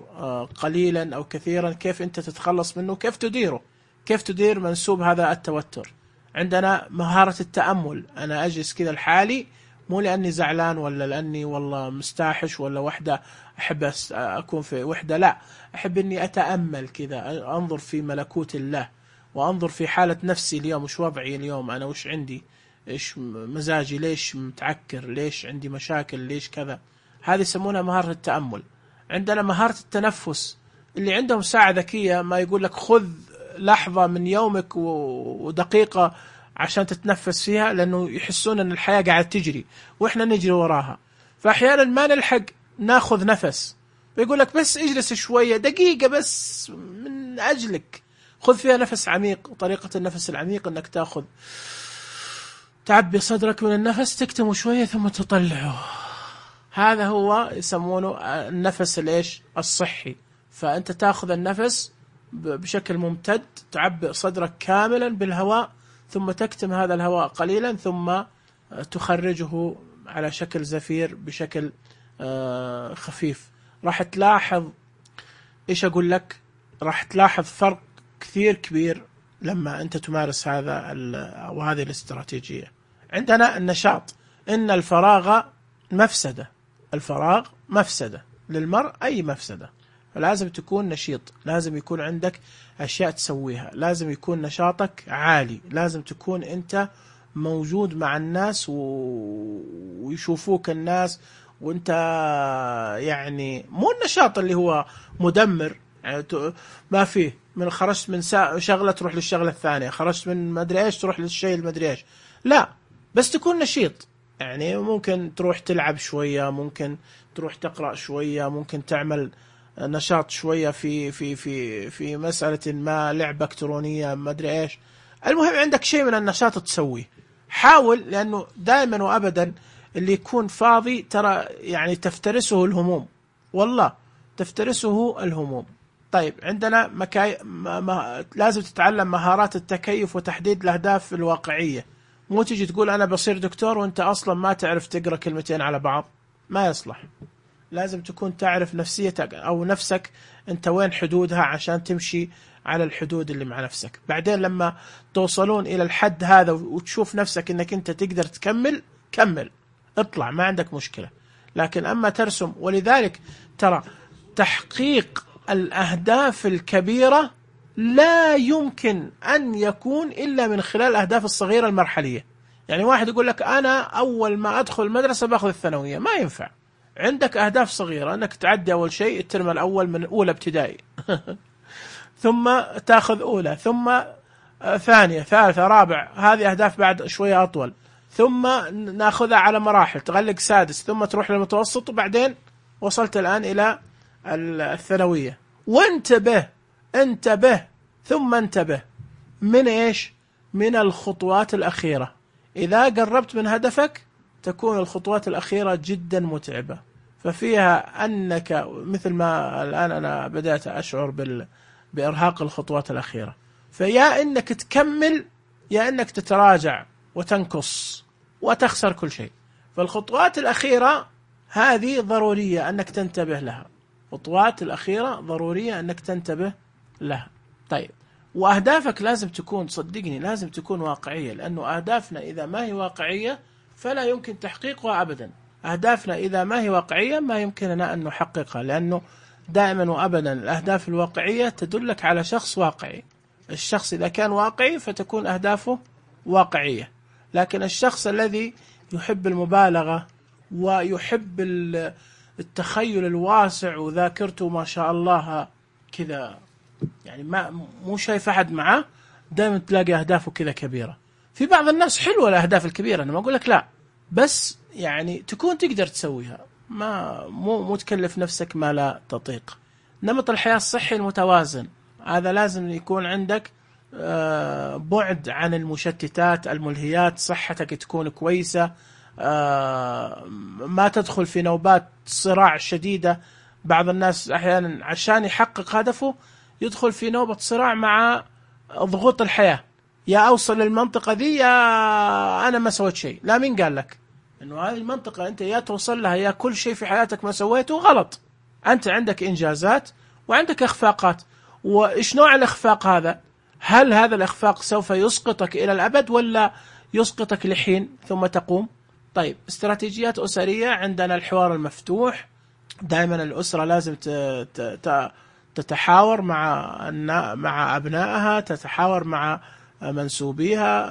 قليلا أو كثيرا، كيف أنت تتخلص منه، كيف تديره، كيف تدير منسوب هذا التوتر. عندنا مهارة التأمل. أنا أجلس كذا لحالي، مو لأني زعلان ولا لأني والله مستاحش ولا وحدة أحب أكون في وحدة، لا، أحب أني أتأمل كذا، أنظر في ملكوت الله، وأنظر في حالة نفسي اليوم، وش وضعي اليوم، أنا وش عندي، إيش مزاجي، ليش متعكر، ليش عندي مشاكل، ليش كذا. هذه يسمونها مهارة التأمل. عندنا مهارة التنفس. اللي عندهم ساعة ذكية ما يقول لك خذ لحظة من يومك ودقيقة عشان تتنفس فيها، لأنه يحسون أن الحياة قاعدة تجري وإحنا نجري وراها، فأحيانا ما نلحق ناخذ نفس. ويقول لك بس اجلس شوية دقيقة بس من أجلك، خذ فيها نفس عميق. طريقة النفس العميق أنك تأخذ، تعبي صدرك من النفس، تكتمه شوية ثم تطلعه. هذا هو يسمونه النفس الإيش؟ الصحي. فأنت تأخذ النفس بشكل ممتد، تعبئ صدرك كاملا بالهواء، ثم تكتم هذا الهواء قليلا، ثم تخرجه على شكل زفير بشكل خفيف. راح تلاحظ، إيش أقول لك، راح تلاحظ فرق كثير كبير لما أنت تمارس هذا أو هذه الاستراتيجية. عندنا النشاط، إن الفراغ مفسدة، الفراغ مفسدة للمرء، أي مفسدة. فلازم تكون نشيط، لازم يكون عندك أشياء تسويها، لازم يكون نشاطك عالي، لازم تكون أنت موجود مع الناس ويشوفوك الناس، وأنت يعني مو النشاط اللي هو مدمر، يعني ما فيه من خرجت من شغلة تروح للشغلة الثانية، خرجت من مدري إيش تروح للشيء المدري إيش، لا، بس تكون نشيط. يعني ممكن تروح تلعب شوية، ممكن تروح تقرأ شوية، ممكن تعمل نشاط شوية في مسألة ما، لعبة إلكترونية ما أدري إيش. المهم عندك شيء من النشاط تسويه، حاول، لأنه دائما وأبدا اللي يكون فاضي ترى يعني تفترسه الهموم، والله تفترسه الهموم. طيب عندنا لازم تتعلم مهارات التكيف وتحديد الأهداف الواقعية. مو تجي تقول أنا بصير دكتور وأنت أصلا ما تعرف تقرأ كلمتين على بعض، ما يصلح. لازم تكون تعرف نفسيتك أو نفسك أنت وين حدودها عشان تمشي على الحدود اللي مع نفسك. بعدين لما توصلون إلى الحد هذا وتشوف نفسك أنك أنت تقدر تكمل، كمل، اطلع، ما عندك مشكلة. لكن أما ترسم، ولذلك ترى تحقيق الأهداف الكبيرة لا يمكن أن يكون إلا من خلال الأهداف الصغيرة المرحلية. يعني واحد يقول لك أنا أول ما أدخل المدرسة بأخذ الثانوية، ما ينفع. عندك أهداف صغيرة، أنك تعدي أول شيء الترم الأول من أولى ابتدائي ثم تأخذ أولى، ثم ثانية، ثالثة، رابع، هذه أهداف بعد شوية أطول، ثم نأخذها على مراحل، تغلق سادس، ثم تروح للمتوسط، وبعدين وصلت الآن إلى الثانوية. وانتبه، انتبه ثم انتبه من إيش؟ من الخطوات الأخيرة. إذا قربت من هدفك تكون الخطوات الأخيرة جدا متعبة، ففيها أنك مثل ما الآن أنا بدأت أشعر بإرهاق الخطوات الأخيرة، فيا أنك تكمل يا أنك تتراجع وتنقص وتخسر كل شيء. فالخطوات الأخيرة هذه ضرورية أنك تنتبه لها، خطوات الأخيرة ضرورية أنك تنتبه لها. طيب، وأهدافك لازم تكون، صدقني لازم تكون واقعية، لأنه أهدافنا إذا ما هي واقعية فلا يمكن تحقيقها أبدا. أهدافنا إذا ما هي واقعية ما يمكننا أن نحققها، لأنه دائما وأبدا الأهداف الواقعية تدلك على شخص واقعي. الشخص إذا كان واقعي فتكون أهدافه واقعية، لكن الشخص الذي يحب المبالغة ويحب التخيل الواسع وذاكرته ما شاء الله كذا، يعني مو شايف أحد معه، دائما تلاقي أهدافه كذا كبيرة. في بعض الناس حلوة الأهداف الكبيرة، أنا ما أقول لك لا، بس يعني تكون تقدر تسويها، مو تكلف نفسك ما لا تطيق. نمط الحياة الصحي المتوازن، هذا لازم يكون عندك بعد عن المشتتات الملهيات، صحتك تكون كويسة، ما تدخل في نوبات صراع شديدة. بعض الناس أحيانا عشان يحقق هدفه يدخل في نوبة صراع مع ضغوط الحياة، يا أوصل للمنطقة ذي يا أنا ما سويت شيء. لا، مين قال لك إنه هذه المنطقة أنت يا توصل لها يا كل شيء في حياتك ما سويته غلط؟ أنت عندك إنجازات وعندك إخفاقات، وإيش نوع الإخفاق هذا؟ هل هذا الإخفاق سوف يسقطك إلى الأبد ولا يسقطك لحين ثم تقوم؟ طيب، استراتيجيات أسرية، عندنا الحوار المفتوح، دائما الأسرة لازم تتحاور مع أبنائها، تتحاور مع منسوبيها،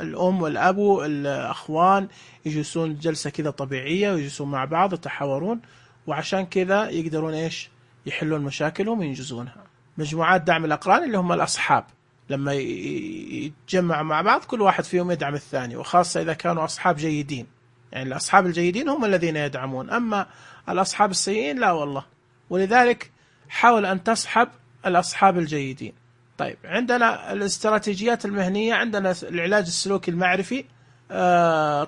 الأم والأب الأخوان يجلسون جلسة كذا طبيعية ويجلسون مع بعض يتحاورون، وعشان كذا يقدرون إيش؟ يحلون مشاكلهم وينجزونها. مجموعات دعم الأقران اللي هم الأصحاب، لما يتجمعوا مع بعض كل واحد فيهم يدعم الثاني، وخاصة إذا كانوا أصحاب جيدين، يعني الأصحاب الجيدين هم الذين يدعمون، أما الأصحاب السيئين لا والله. ولذلك حاول أن تصحب الأصحاب الجيدين. طيب، عندنا الاستراتيجيات المهنية، عندنا العلاج السلوكي المعرفي،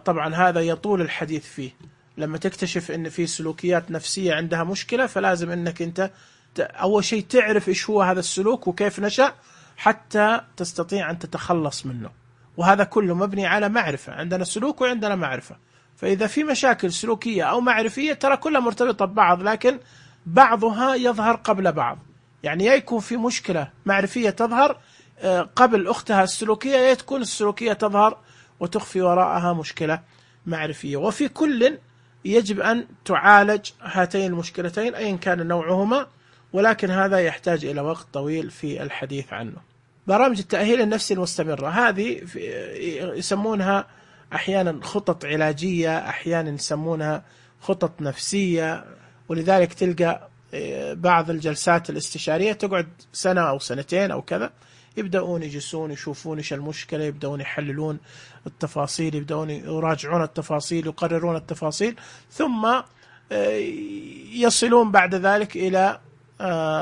طبعا هذا يطول الحديث فيه. لما تكتشف أن في سلوكيات نفسية عندها مشكلة فلازم أنك أنت أول شيء تعرف إيش هو هذا السلوك وكيف نشأ حتى تستطيع أن تتخلص منه. وهذا كله مبني على معرفة، عندنا سلوك وعندنا معرفة. فإذا في مشاكل سلوكية أو معرفية ترى كلها مرتبطة ببعض، لكن بعضها يظهر قبل بعض. يعني يكون في مشكلة معرفية تظهر قبل أختها السلوكية، يا تكون السلوكية تظهر وتخفي وراءها مشكلة معرفية. وفي كل يجب أن تعالج هاتين المشكلتين أيا كان نوعهما، ولكن هذا يحتاج إلى وقت طويل في الحديث عنه. برامج التأهيل النفسي المستمرة هذه يسمونها أحيانا خطط علاجية، أحيانا يسمونها خطط نفسية. ولذلك تلقى بعض الجلسات الاستشارية تقعد سنة أو سنتين أو كذا، يبدأون يجلسون يشوفون إيش المشكلة، يبدأون يحللون التفاصيل، يبدأون يراجعون التفاصيل، يقررون التفاصيل، ثم يصلون بعد ذلك إلى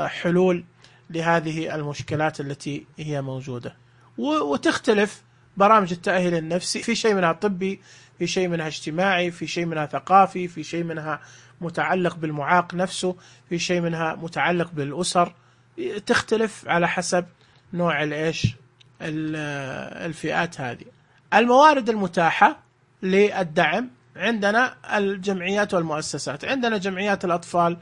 حلول لهذه المشكلات التي هي موجودة. وتختلف برامج التأهيل النفسي، في شيء منها طبي، في شيء منها اجتماعي، في شيء منها ثقافي، في شيء منها متعلق بالمعاق نفسه، في شيء منها متعلق بالأسر. تختلف على حسب نوع الفئات هذه. الموارد المتاحة للدعم عندنا الجمعيات والمؤسسات. عندنا جمعيات الأطفال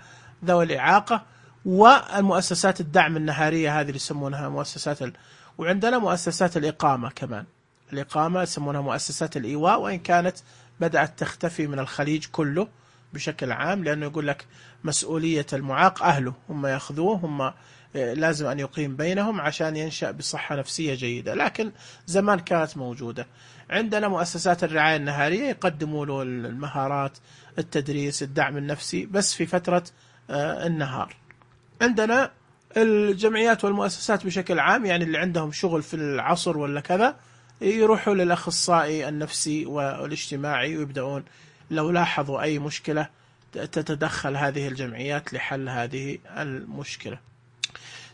ذوي الإعاقة والمؤسسات الدعم النهارية، هذه اللي يسمونها مؤسسات وعندنا مؤسسات الإقامة كمان. الإقامة يسمونها مؤسسات الإيواء، وإن كانت بدأت تختفي من الخليج كله بشكل عام، لأنه يقول لك مسؤولية المعاق أهله، هم يأخذوه، هم لازم أن يقيم بينهم عشان ينشأ بصحة نفسية جيدة، لكن زمان كانت موجودة. عندنا مؤسسات الرعاية النهارية يقدموا له المهارات، التدريس، الدعم النفسي بس في فترة النهار. عندنا الجمعيات والمؤسسات بشكل عام، يعني اللي عندهم شغل في العصر ولا كذا يروحوا للأخصائي النفسي والاجتماعي ويبدأون لو لاحظوا أي مشكلة تتدخل هذه الجمعيات لحل هذه المشكلة.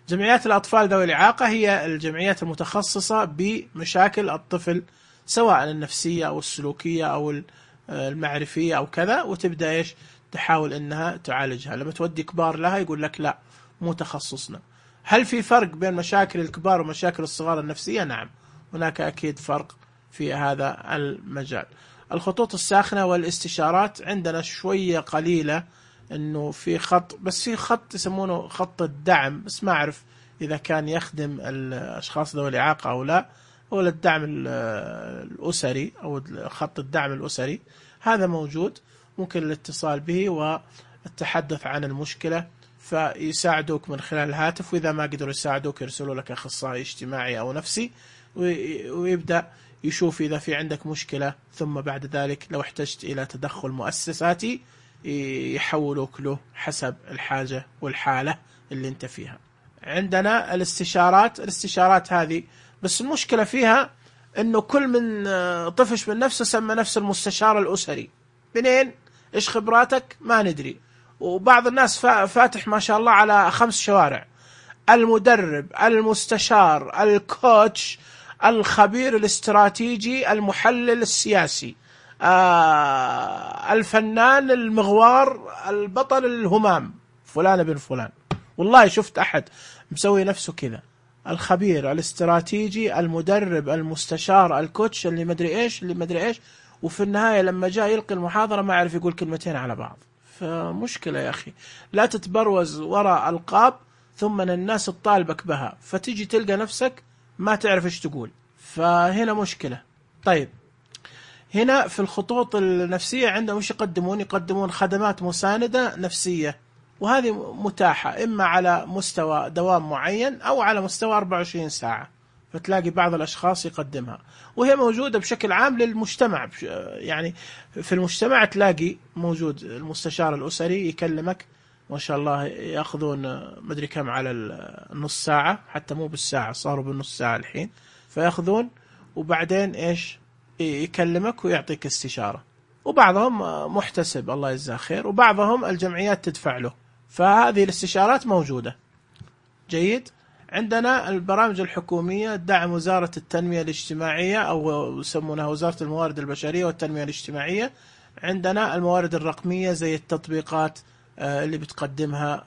جمعيات الأطفال ذوي الإعاقة هي الجمعيات المتخصصة بمشاكل الطفل، سواء النفسية أو السلوكية أو المعرفية أو كذا، وتبدأ تحاول أنها تعالجها. لما تودي كبار لها يقول لك لا مو تخصصنا. هل في فرق بين مشاكل الكبار ومشاكل الصغار النفسية؟ نعم، هناك أكيد فرق في هذا المجال. الخطوط الساخنة والاستشارات عندنا شوية قليلة، انه في خط، بس في خط يسمونه خط الدعم، بس ما اعرف اذا كان يخدم الاشخاص ذوي الاعاقة او لا، هو الدعم الاسري او خط الدعم الاسري، هذا موجود، ممكن الاتصال به والتحدث عن المشكلة فيساعدوك من خلال الهاتف، واذا ما قدروا يساعدوك يرسلوا لك اخصائي اجتماعي او نفسي ويبدأ يشوف إذا في عندك مشكلة، ثم بعد ذلك لو احتجت إلى تدخل مؤسساتي يحولوك له حسب الحاجة والحالة اللي انت فيها. عندنا الاستشارات هذه، بس المشكلة فيها انه كل من طفش من نفسه سمى نفسه المستشار الأسري. منين؟ ايش خبراتك؟ ما ندري. وبعض الناس فاتح ما شاء الله على 5 شوارع: المدرب، المستشار، الكوتش، الخبير الاستراتيجي، المحلل السياسي، الفنان المغوار، البطل الهمام، فلان بن فلان. والله شفت أحد مسوي نفسه كذا: الخبير، الاستراتيجي، المدرب، المستشار، الكوتش، اللي مدري إيش اللي مدري إيش، وفي النهاية لما جاء يلقي المحاضرة ما عرف يقول كلمتين على بعض. فمشكلة يا أخي، لا تتبروز وراء ألقاب ثم الناس تطالبك بها، فتيجي تلقى نفسك ما تعرف إيش تقول، فهنا مشكلة. طيب، هنا في الخطوط النفسية عندهم إيش يقدمون خدمات مساندة نفسية، وهذه متاحة إما على مستوى دوام معين أو على مستوى 24 ساعة، فتلاقي بعض الأشخاص يقدمها، وهي موجودة بشكل عام للمجتمع. يعني في المجتمع تلاقي موجود المستشار الأسري يكلمك، ما شاء الله يأخذون مدري كم على النص ساعة، حتى مو بالساعة، صاروا بالنص ساعة الحين، فيأخذون وبعدين إيش يكلمك ويعطيك استشارة. وبعضهم محتسب الله يجزاه خير، وبعضهم الجمعيات تدفع له، فهذه الاستشارات موجودة. جيد. عندنا البرامج الحكومية، دعم وزارة التنمية الاجتماعية أو يسمونها وزارة الموارد البشرية والتنمية الاجتماعية. عندنا الموارد الرقمية زي التطبيقات اللي بتقدمها.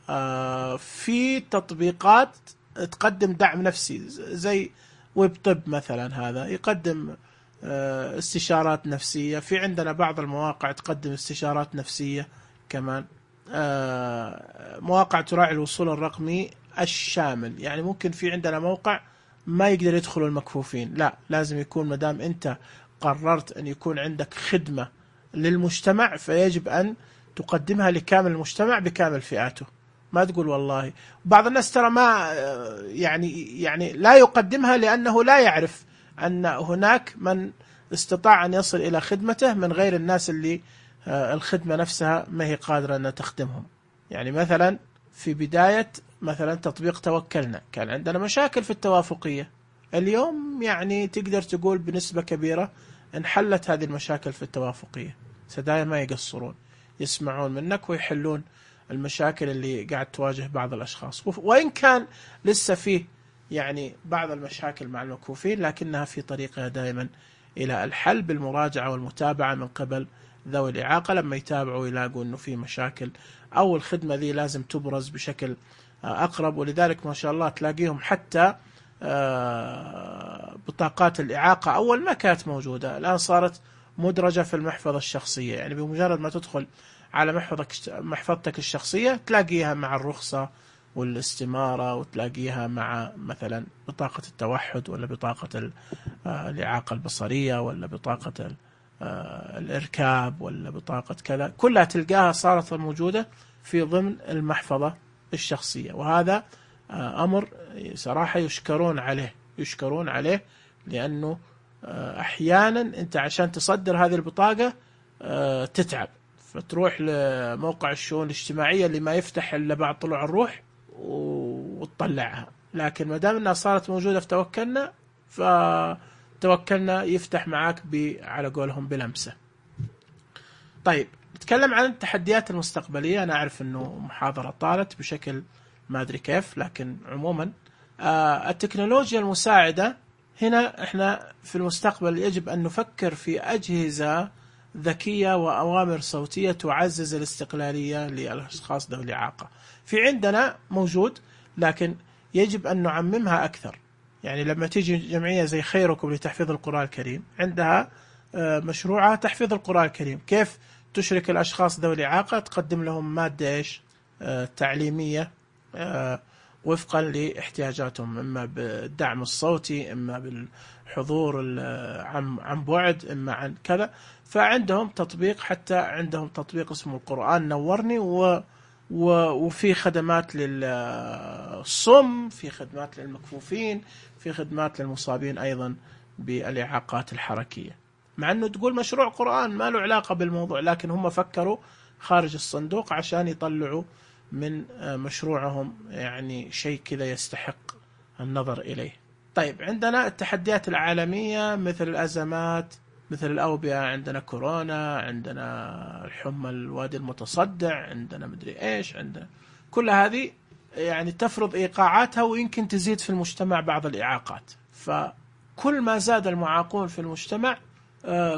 في تطبيقات تقدم دعم نفسي زي ويب طب مثلا، هذا يقدم استشارات نفسية. في عندنا بعض المواقع تقدم استشارات نفسية كمان. مواقع تراعي الوصول الرقمي الشامل، يعني ممكن في عندنا موقع ما يقدر يدخلوا المكفوفين، لا لازم يكون مدام أنت قررت أن يكون عندك خدمة للمجتمع فيجب أن تقدمها لكامل المجتمع بكامل فئاته. ما تقول والله بعض الناس ترى ما يعني لا يقدمها لأنه لا يعرف أن هناك من استطاع أن يصل إلى خدمته من غير الناس اللي الخدمة نفسها ما هي قادرة أن تخدمهم. يعني مثلا في بداية مثلا تطبيق توكلنا كان عندنا مشاكل في التوافقية، اليوم يعني تقدر تقول بنسبة كبيرة انحلت هذه المشاكل في التوافقية. سدايا ما يقصرون، يسمعون منك ويحلون المشاكل اللي قاعد تواجه بعض الأشخاص، وإن كان لسه فيه يعني بعض المشاكل مع المكفوفين لكنها في طريقها دائما إلى الحل بالمراجعة والمتابعة من قبل ذوي الإعاقة. لما يتابعوا يلاقوا أنه في مشاكل أو الخدمة ذي لازم تبرز بشكل أقرب. ولذلك ما شاء الله تلاقيهم حتى بطاقات الإعاقة أول ما كانت موجودة الآن صارت مدرجة في المحفظة الشخصية، يعني بمجرد ما تدخل على محفظتك الشخصية تلاقيها مع الرخصة والاستمارة، وتلاقيها مع مثلا بطاقة التوحد ولا بطاقة الإعاقة البصرية ولا بطاقة الإركاب ولا بطاقة كذا، كلها تلقاها صارت موجودة في ضمن المحفظة الشخصية. وهذا أمر صراحة يشكرون عليه لأنه أحيانا أنت عشان تصدر هذه البطاقة تتعب، فتروح لموقع الشؤون الاجتماعية اللي ما يفتح إلا بعد طلوع الروح وتطلعها. لكن ما دام أنها صارت موجودة في توكلنا، فتوكلنا يفتح معاك على قولهم بلمسة. طيب نتكلم عن التحديات المستقبلية. أنا أعرف أنه محاضرة طالت بشكل ما أدري كيف، لكن عموما التكنولوجيا المساعدة هنا إحنا في المستقبل يجب أن نفكر في أجهزة ذكية وأوامر صوتية تعزز الاستقلالية للأشخاص ذوي الإعاقة. في عندنا موجود لكن يجب أن نعممها أكثر. يعني لما تيجي جمعية زي خيركم لتحفيظ القرآن الكريم عندها مشروعها تحفيظ القرآن الكريم، كيف تشرك الأشخاص ذوي الإعاقة، تقدم لهم مادة تعليمية وفقا لاحتياجاتهم، إما بالدعم الصوتي، إما بالحضور عن بعد، إما عن كذا. فعندهم تطبيق، حتى عندهم تطبيق اسمه القرآن نورني، وفي خدمات للصم، في خدمات للمكفوفين، في خدمات للمصابين أيضا بالإعاقات الحركية. مع أنه تقول مشروع قرآن ما له علاقة بالموضوع، لكن هم فكروا خارج الصندوق عشان يطلعوا من مشروعهم يعني شيء كذا يستحق النظر إليه. طيب عندنا التحديات العالمية مثل الأزمات، مثل الأوبئة، عندنا كورونا، عندنا الحمى الوادي المتصدع، عندنا مدري إيش، عندنا كل هذه يعني تفرض إيقاعاتها ويمكن تزيد في المجتمع بعض الإعاقات. فكل ما زاد المعاقون في المجتمع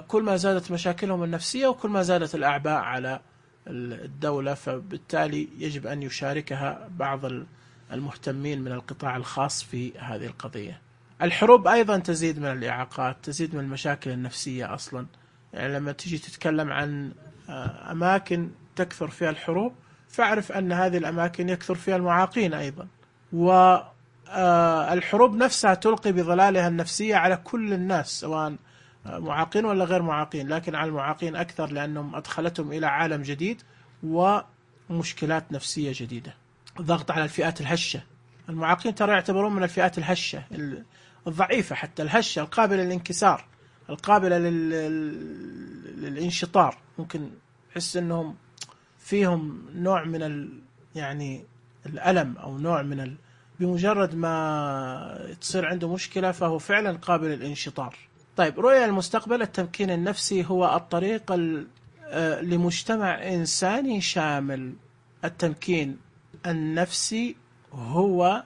كل ما زادت مشاكلهم النفسية وكل ما زادت الأعباء على الدولة، فبالتالي يجب أن يشاركها بعض المهتمين من القطاع الخاص في هذه القضية. الحروب أيضا تزيد من الإعاقات، تزيد من المشاكل النفسية أصلا. يعني لما تيجي تتكلم عن أماكن تكثر فيها الحروب، فاعرف أن هذه الأماكن يكثر فيها المعاقين أيضا، والحروب نفسها تلقي بظلالها النفسية على كل الناس سواء معاقين ولا غير معاقين، لكن على المعاقين أكثر لأنهم أدخلتهم إلى عالم جديد ومشكلات نفسية جديدة. الضغط على الفئات الهشة، المعاقين ترى يعتبرون من الفئات الهشة الضعيفة، حتى الهشة القابلة للانكسار، القابلة للانشطار. ممكن يحس أنهم فيهم نوع من يعني الألم أو نوع من بمجرد ما تصير عنده مشكلة فهو فعلا قابل للانشطار. طيب رؤية المستقبل، التمكين النفسي هو الطريق لمجتمع إنساني شامل. التمكين النفسي هو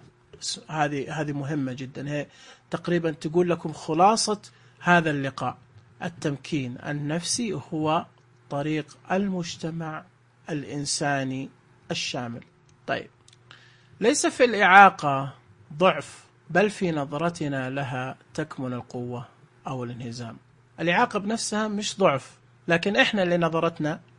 هذه مهمة جدا، هي تقريبا تقول لكم خلاصة هذا اللقاء. التمكين النفسي هو طريق المجتمع الإنساني الشامل. طيب، ليس في الإعاقة ضعف، بل في نظرتنا لها تكمن القوة أو الانهزام. الإعاقة بنفسها مش ضعف، لكن إحنا اللي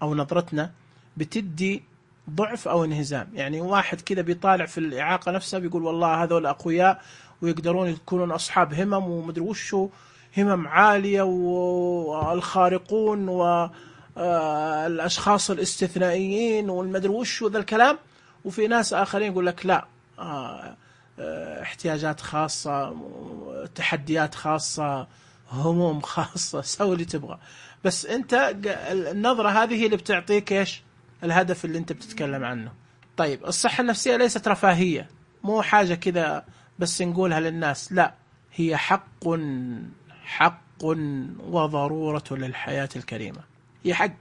نظرتنا بتدي ضعف أو انهزام. يعني واحد كده بيطالع في الإعاقة نفسها بيقول والله هذول أقوياء ويقدرون يكونون أصحاب همم ومدري وشو، همم عالية والخارقون والأشخاص الاستثنائيين والمدري وشو ذا الكلام. وفي ناس آخرين يقول لك لا، احتياجات خاصة، تحديات خاصة، هموم خاصة، سوي اللي تبغى. بس أنت النظرة هذه هي اللي بتعطيك إيش الهدف اللي أنت بتتكلم عنه. طيب، الصحة النفسية ليست رفاهية، مو حاجة كذا بس نقولها للناس، لا، هي حق وضرورة للحياة الكريمة. هي حق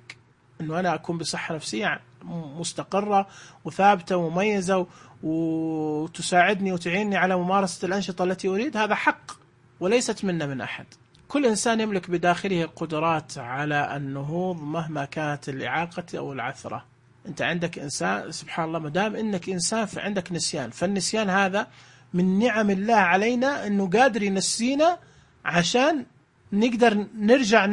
أنه أنا أكون بصحة نفسية مستقرة وثابتة ومميزة وتساعدني وتعيني على ممارسة الأنشطة التي أريد. هذا حق وليست منا من أحد. كل إنسان يملك بداخله قدرات على النهوض مهما كانت الإعاقة أو العثرة. أنت عندك إنسان، سبحان الله، مدام إنك إنسان فعندك نسيان، فالنسيان هذا من نعم الله علينا، أنه قادر ينسينا عشان نقدر نرجع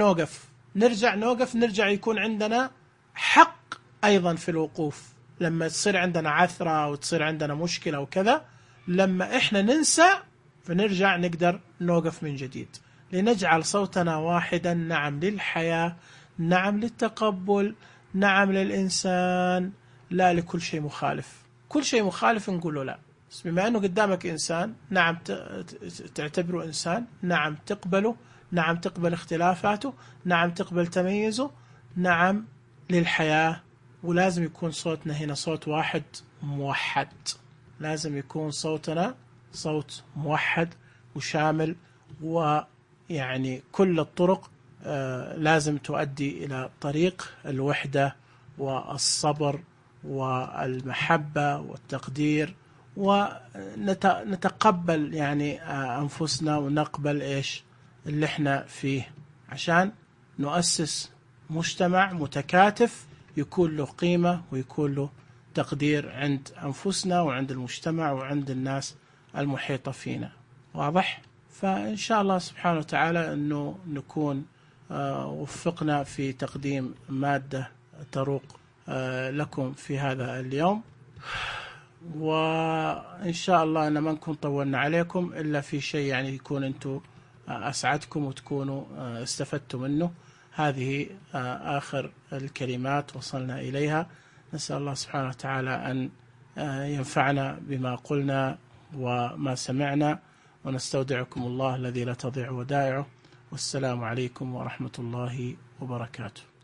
نرجع يكون عندنا حق أيضا في الوقوف. لما تصير عندنا عثرة أو تصير عندنا مشكلة وكذا، لما إحنا ننسى فنرجع نقدر نوقف من جديد، لنجعل صوتنا واحدا. نعم للحياة، نعم للتقبل، نعم للإنسان، لا لكل شيء مخالف. كل شيء مخالف نقول له لا. بس بما أنه قدامك إنسان، نعم تعتبره إنسان، نعم تقبله، نعم تقبل اختلافاته، نعم تقبل تميزه، نعم للحياة. ولازم يكون صوتنا هنا صوت واحد موحد، لازم يكون صوتنا صوت موحد وشامل، ويعني كل الطرق لازم تؤدي إلى طريق الوحدة والصبر والمحبة والتقدير، ونتقبل يعني أنفسنا ونقبل إيش اللي احنا فيه، عشان نؤسس مجتمع متكاتف يكون له قيمة ويكون له تقدير عند أنفسنا وعند المجتمع وعند الناس المحيطة فينا. واضح؟ فإن شاء الله سبحانه وتعالى أنه نكون وفقنا في تقديم مادة تروق لكم في هذا اليوم، وإن شاء الله أن ما نكون طولنا عليكم إلا في شيء يعني يكون أنتم أسعدكم وتكونوا استفدتم منه. هذه آخر الكلمات وصلنا إليها. نسأل الله سبحانه وتعالى أن ينفعنا بما قلنا وما سمعنا، ونستودعكم الله الذي لا تضيع ودائعه. والسلام عليكم ورحمة الله وبركاته.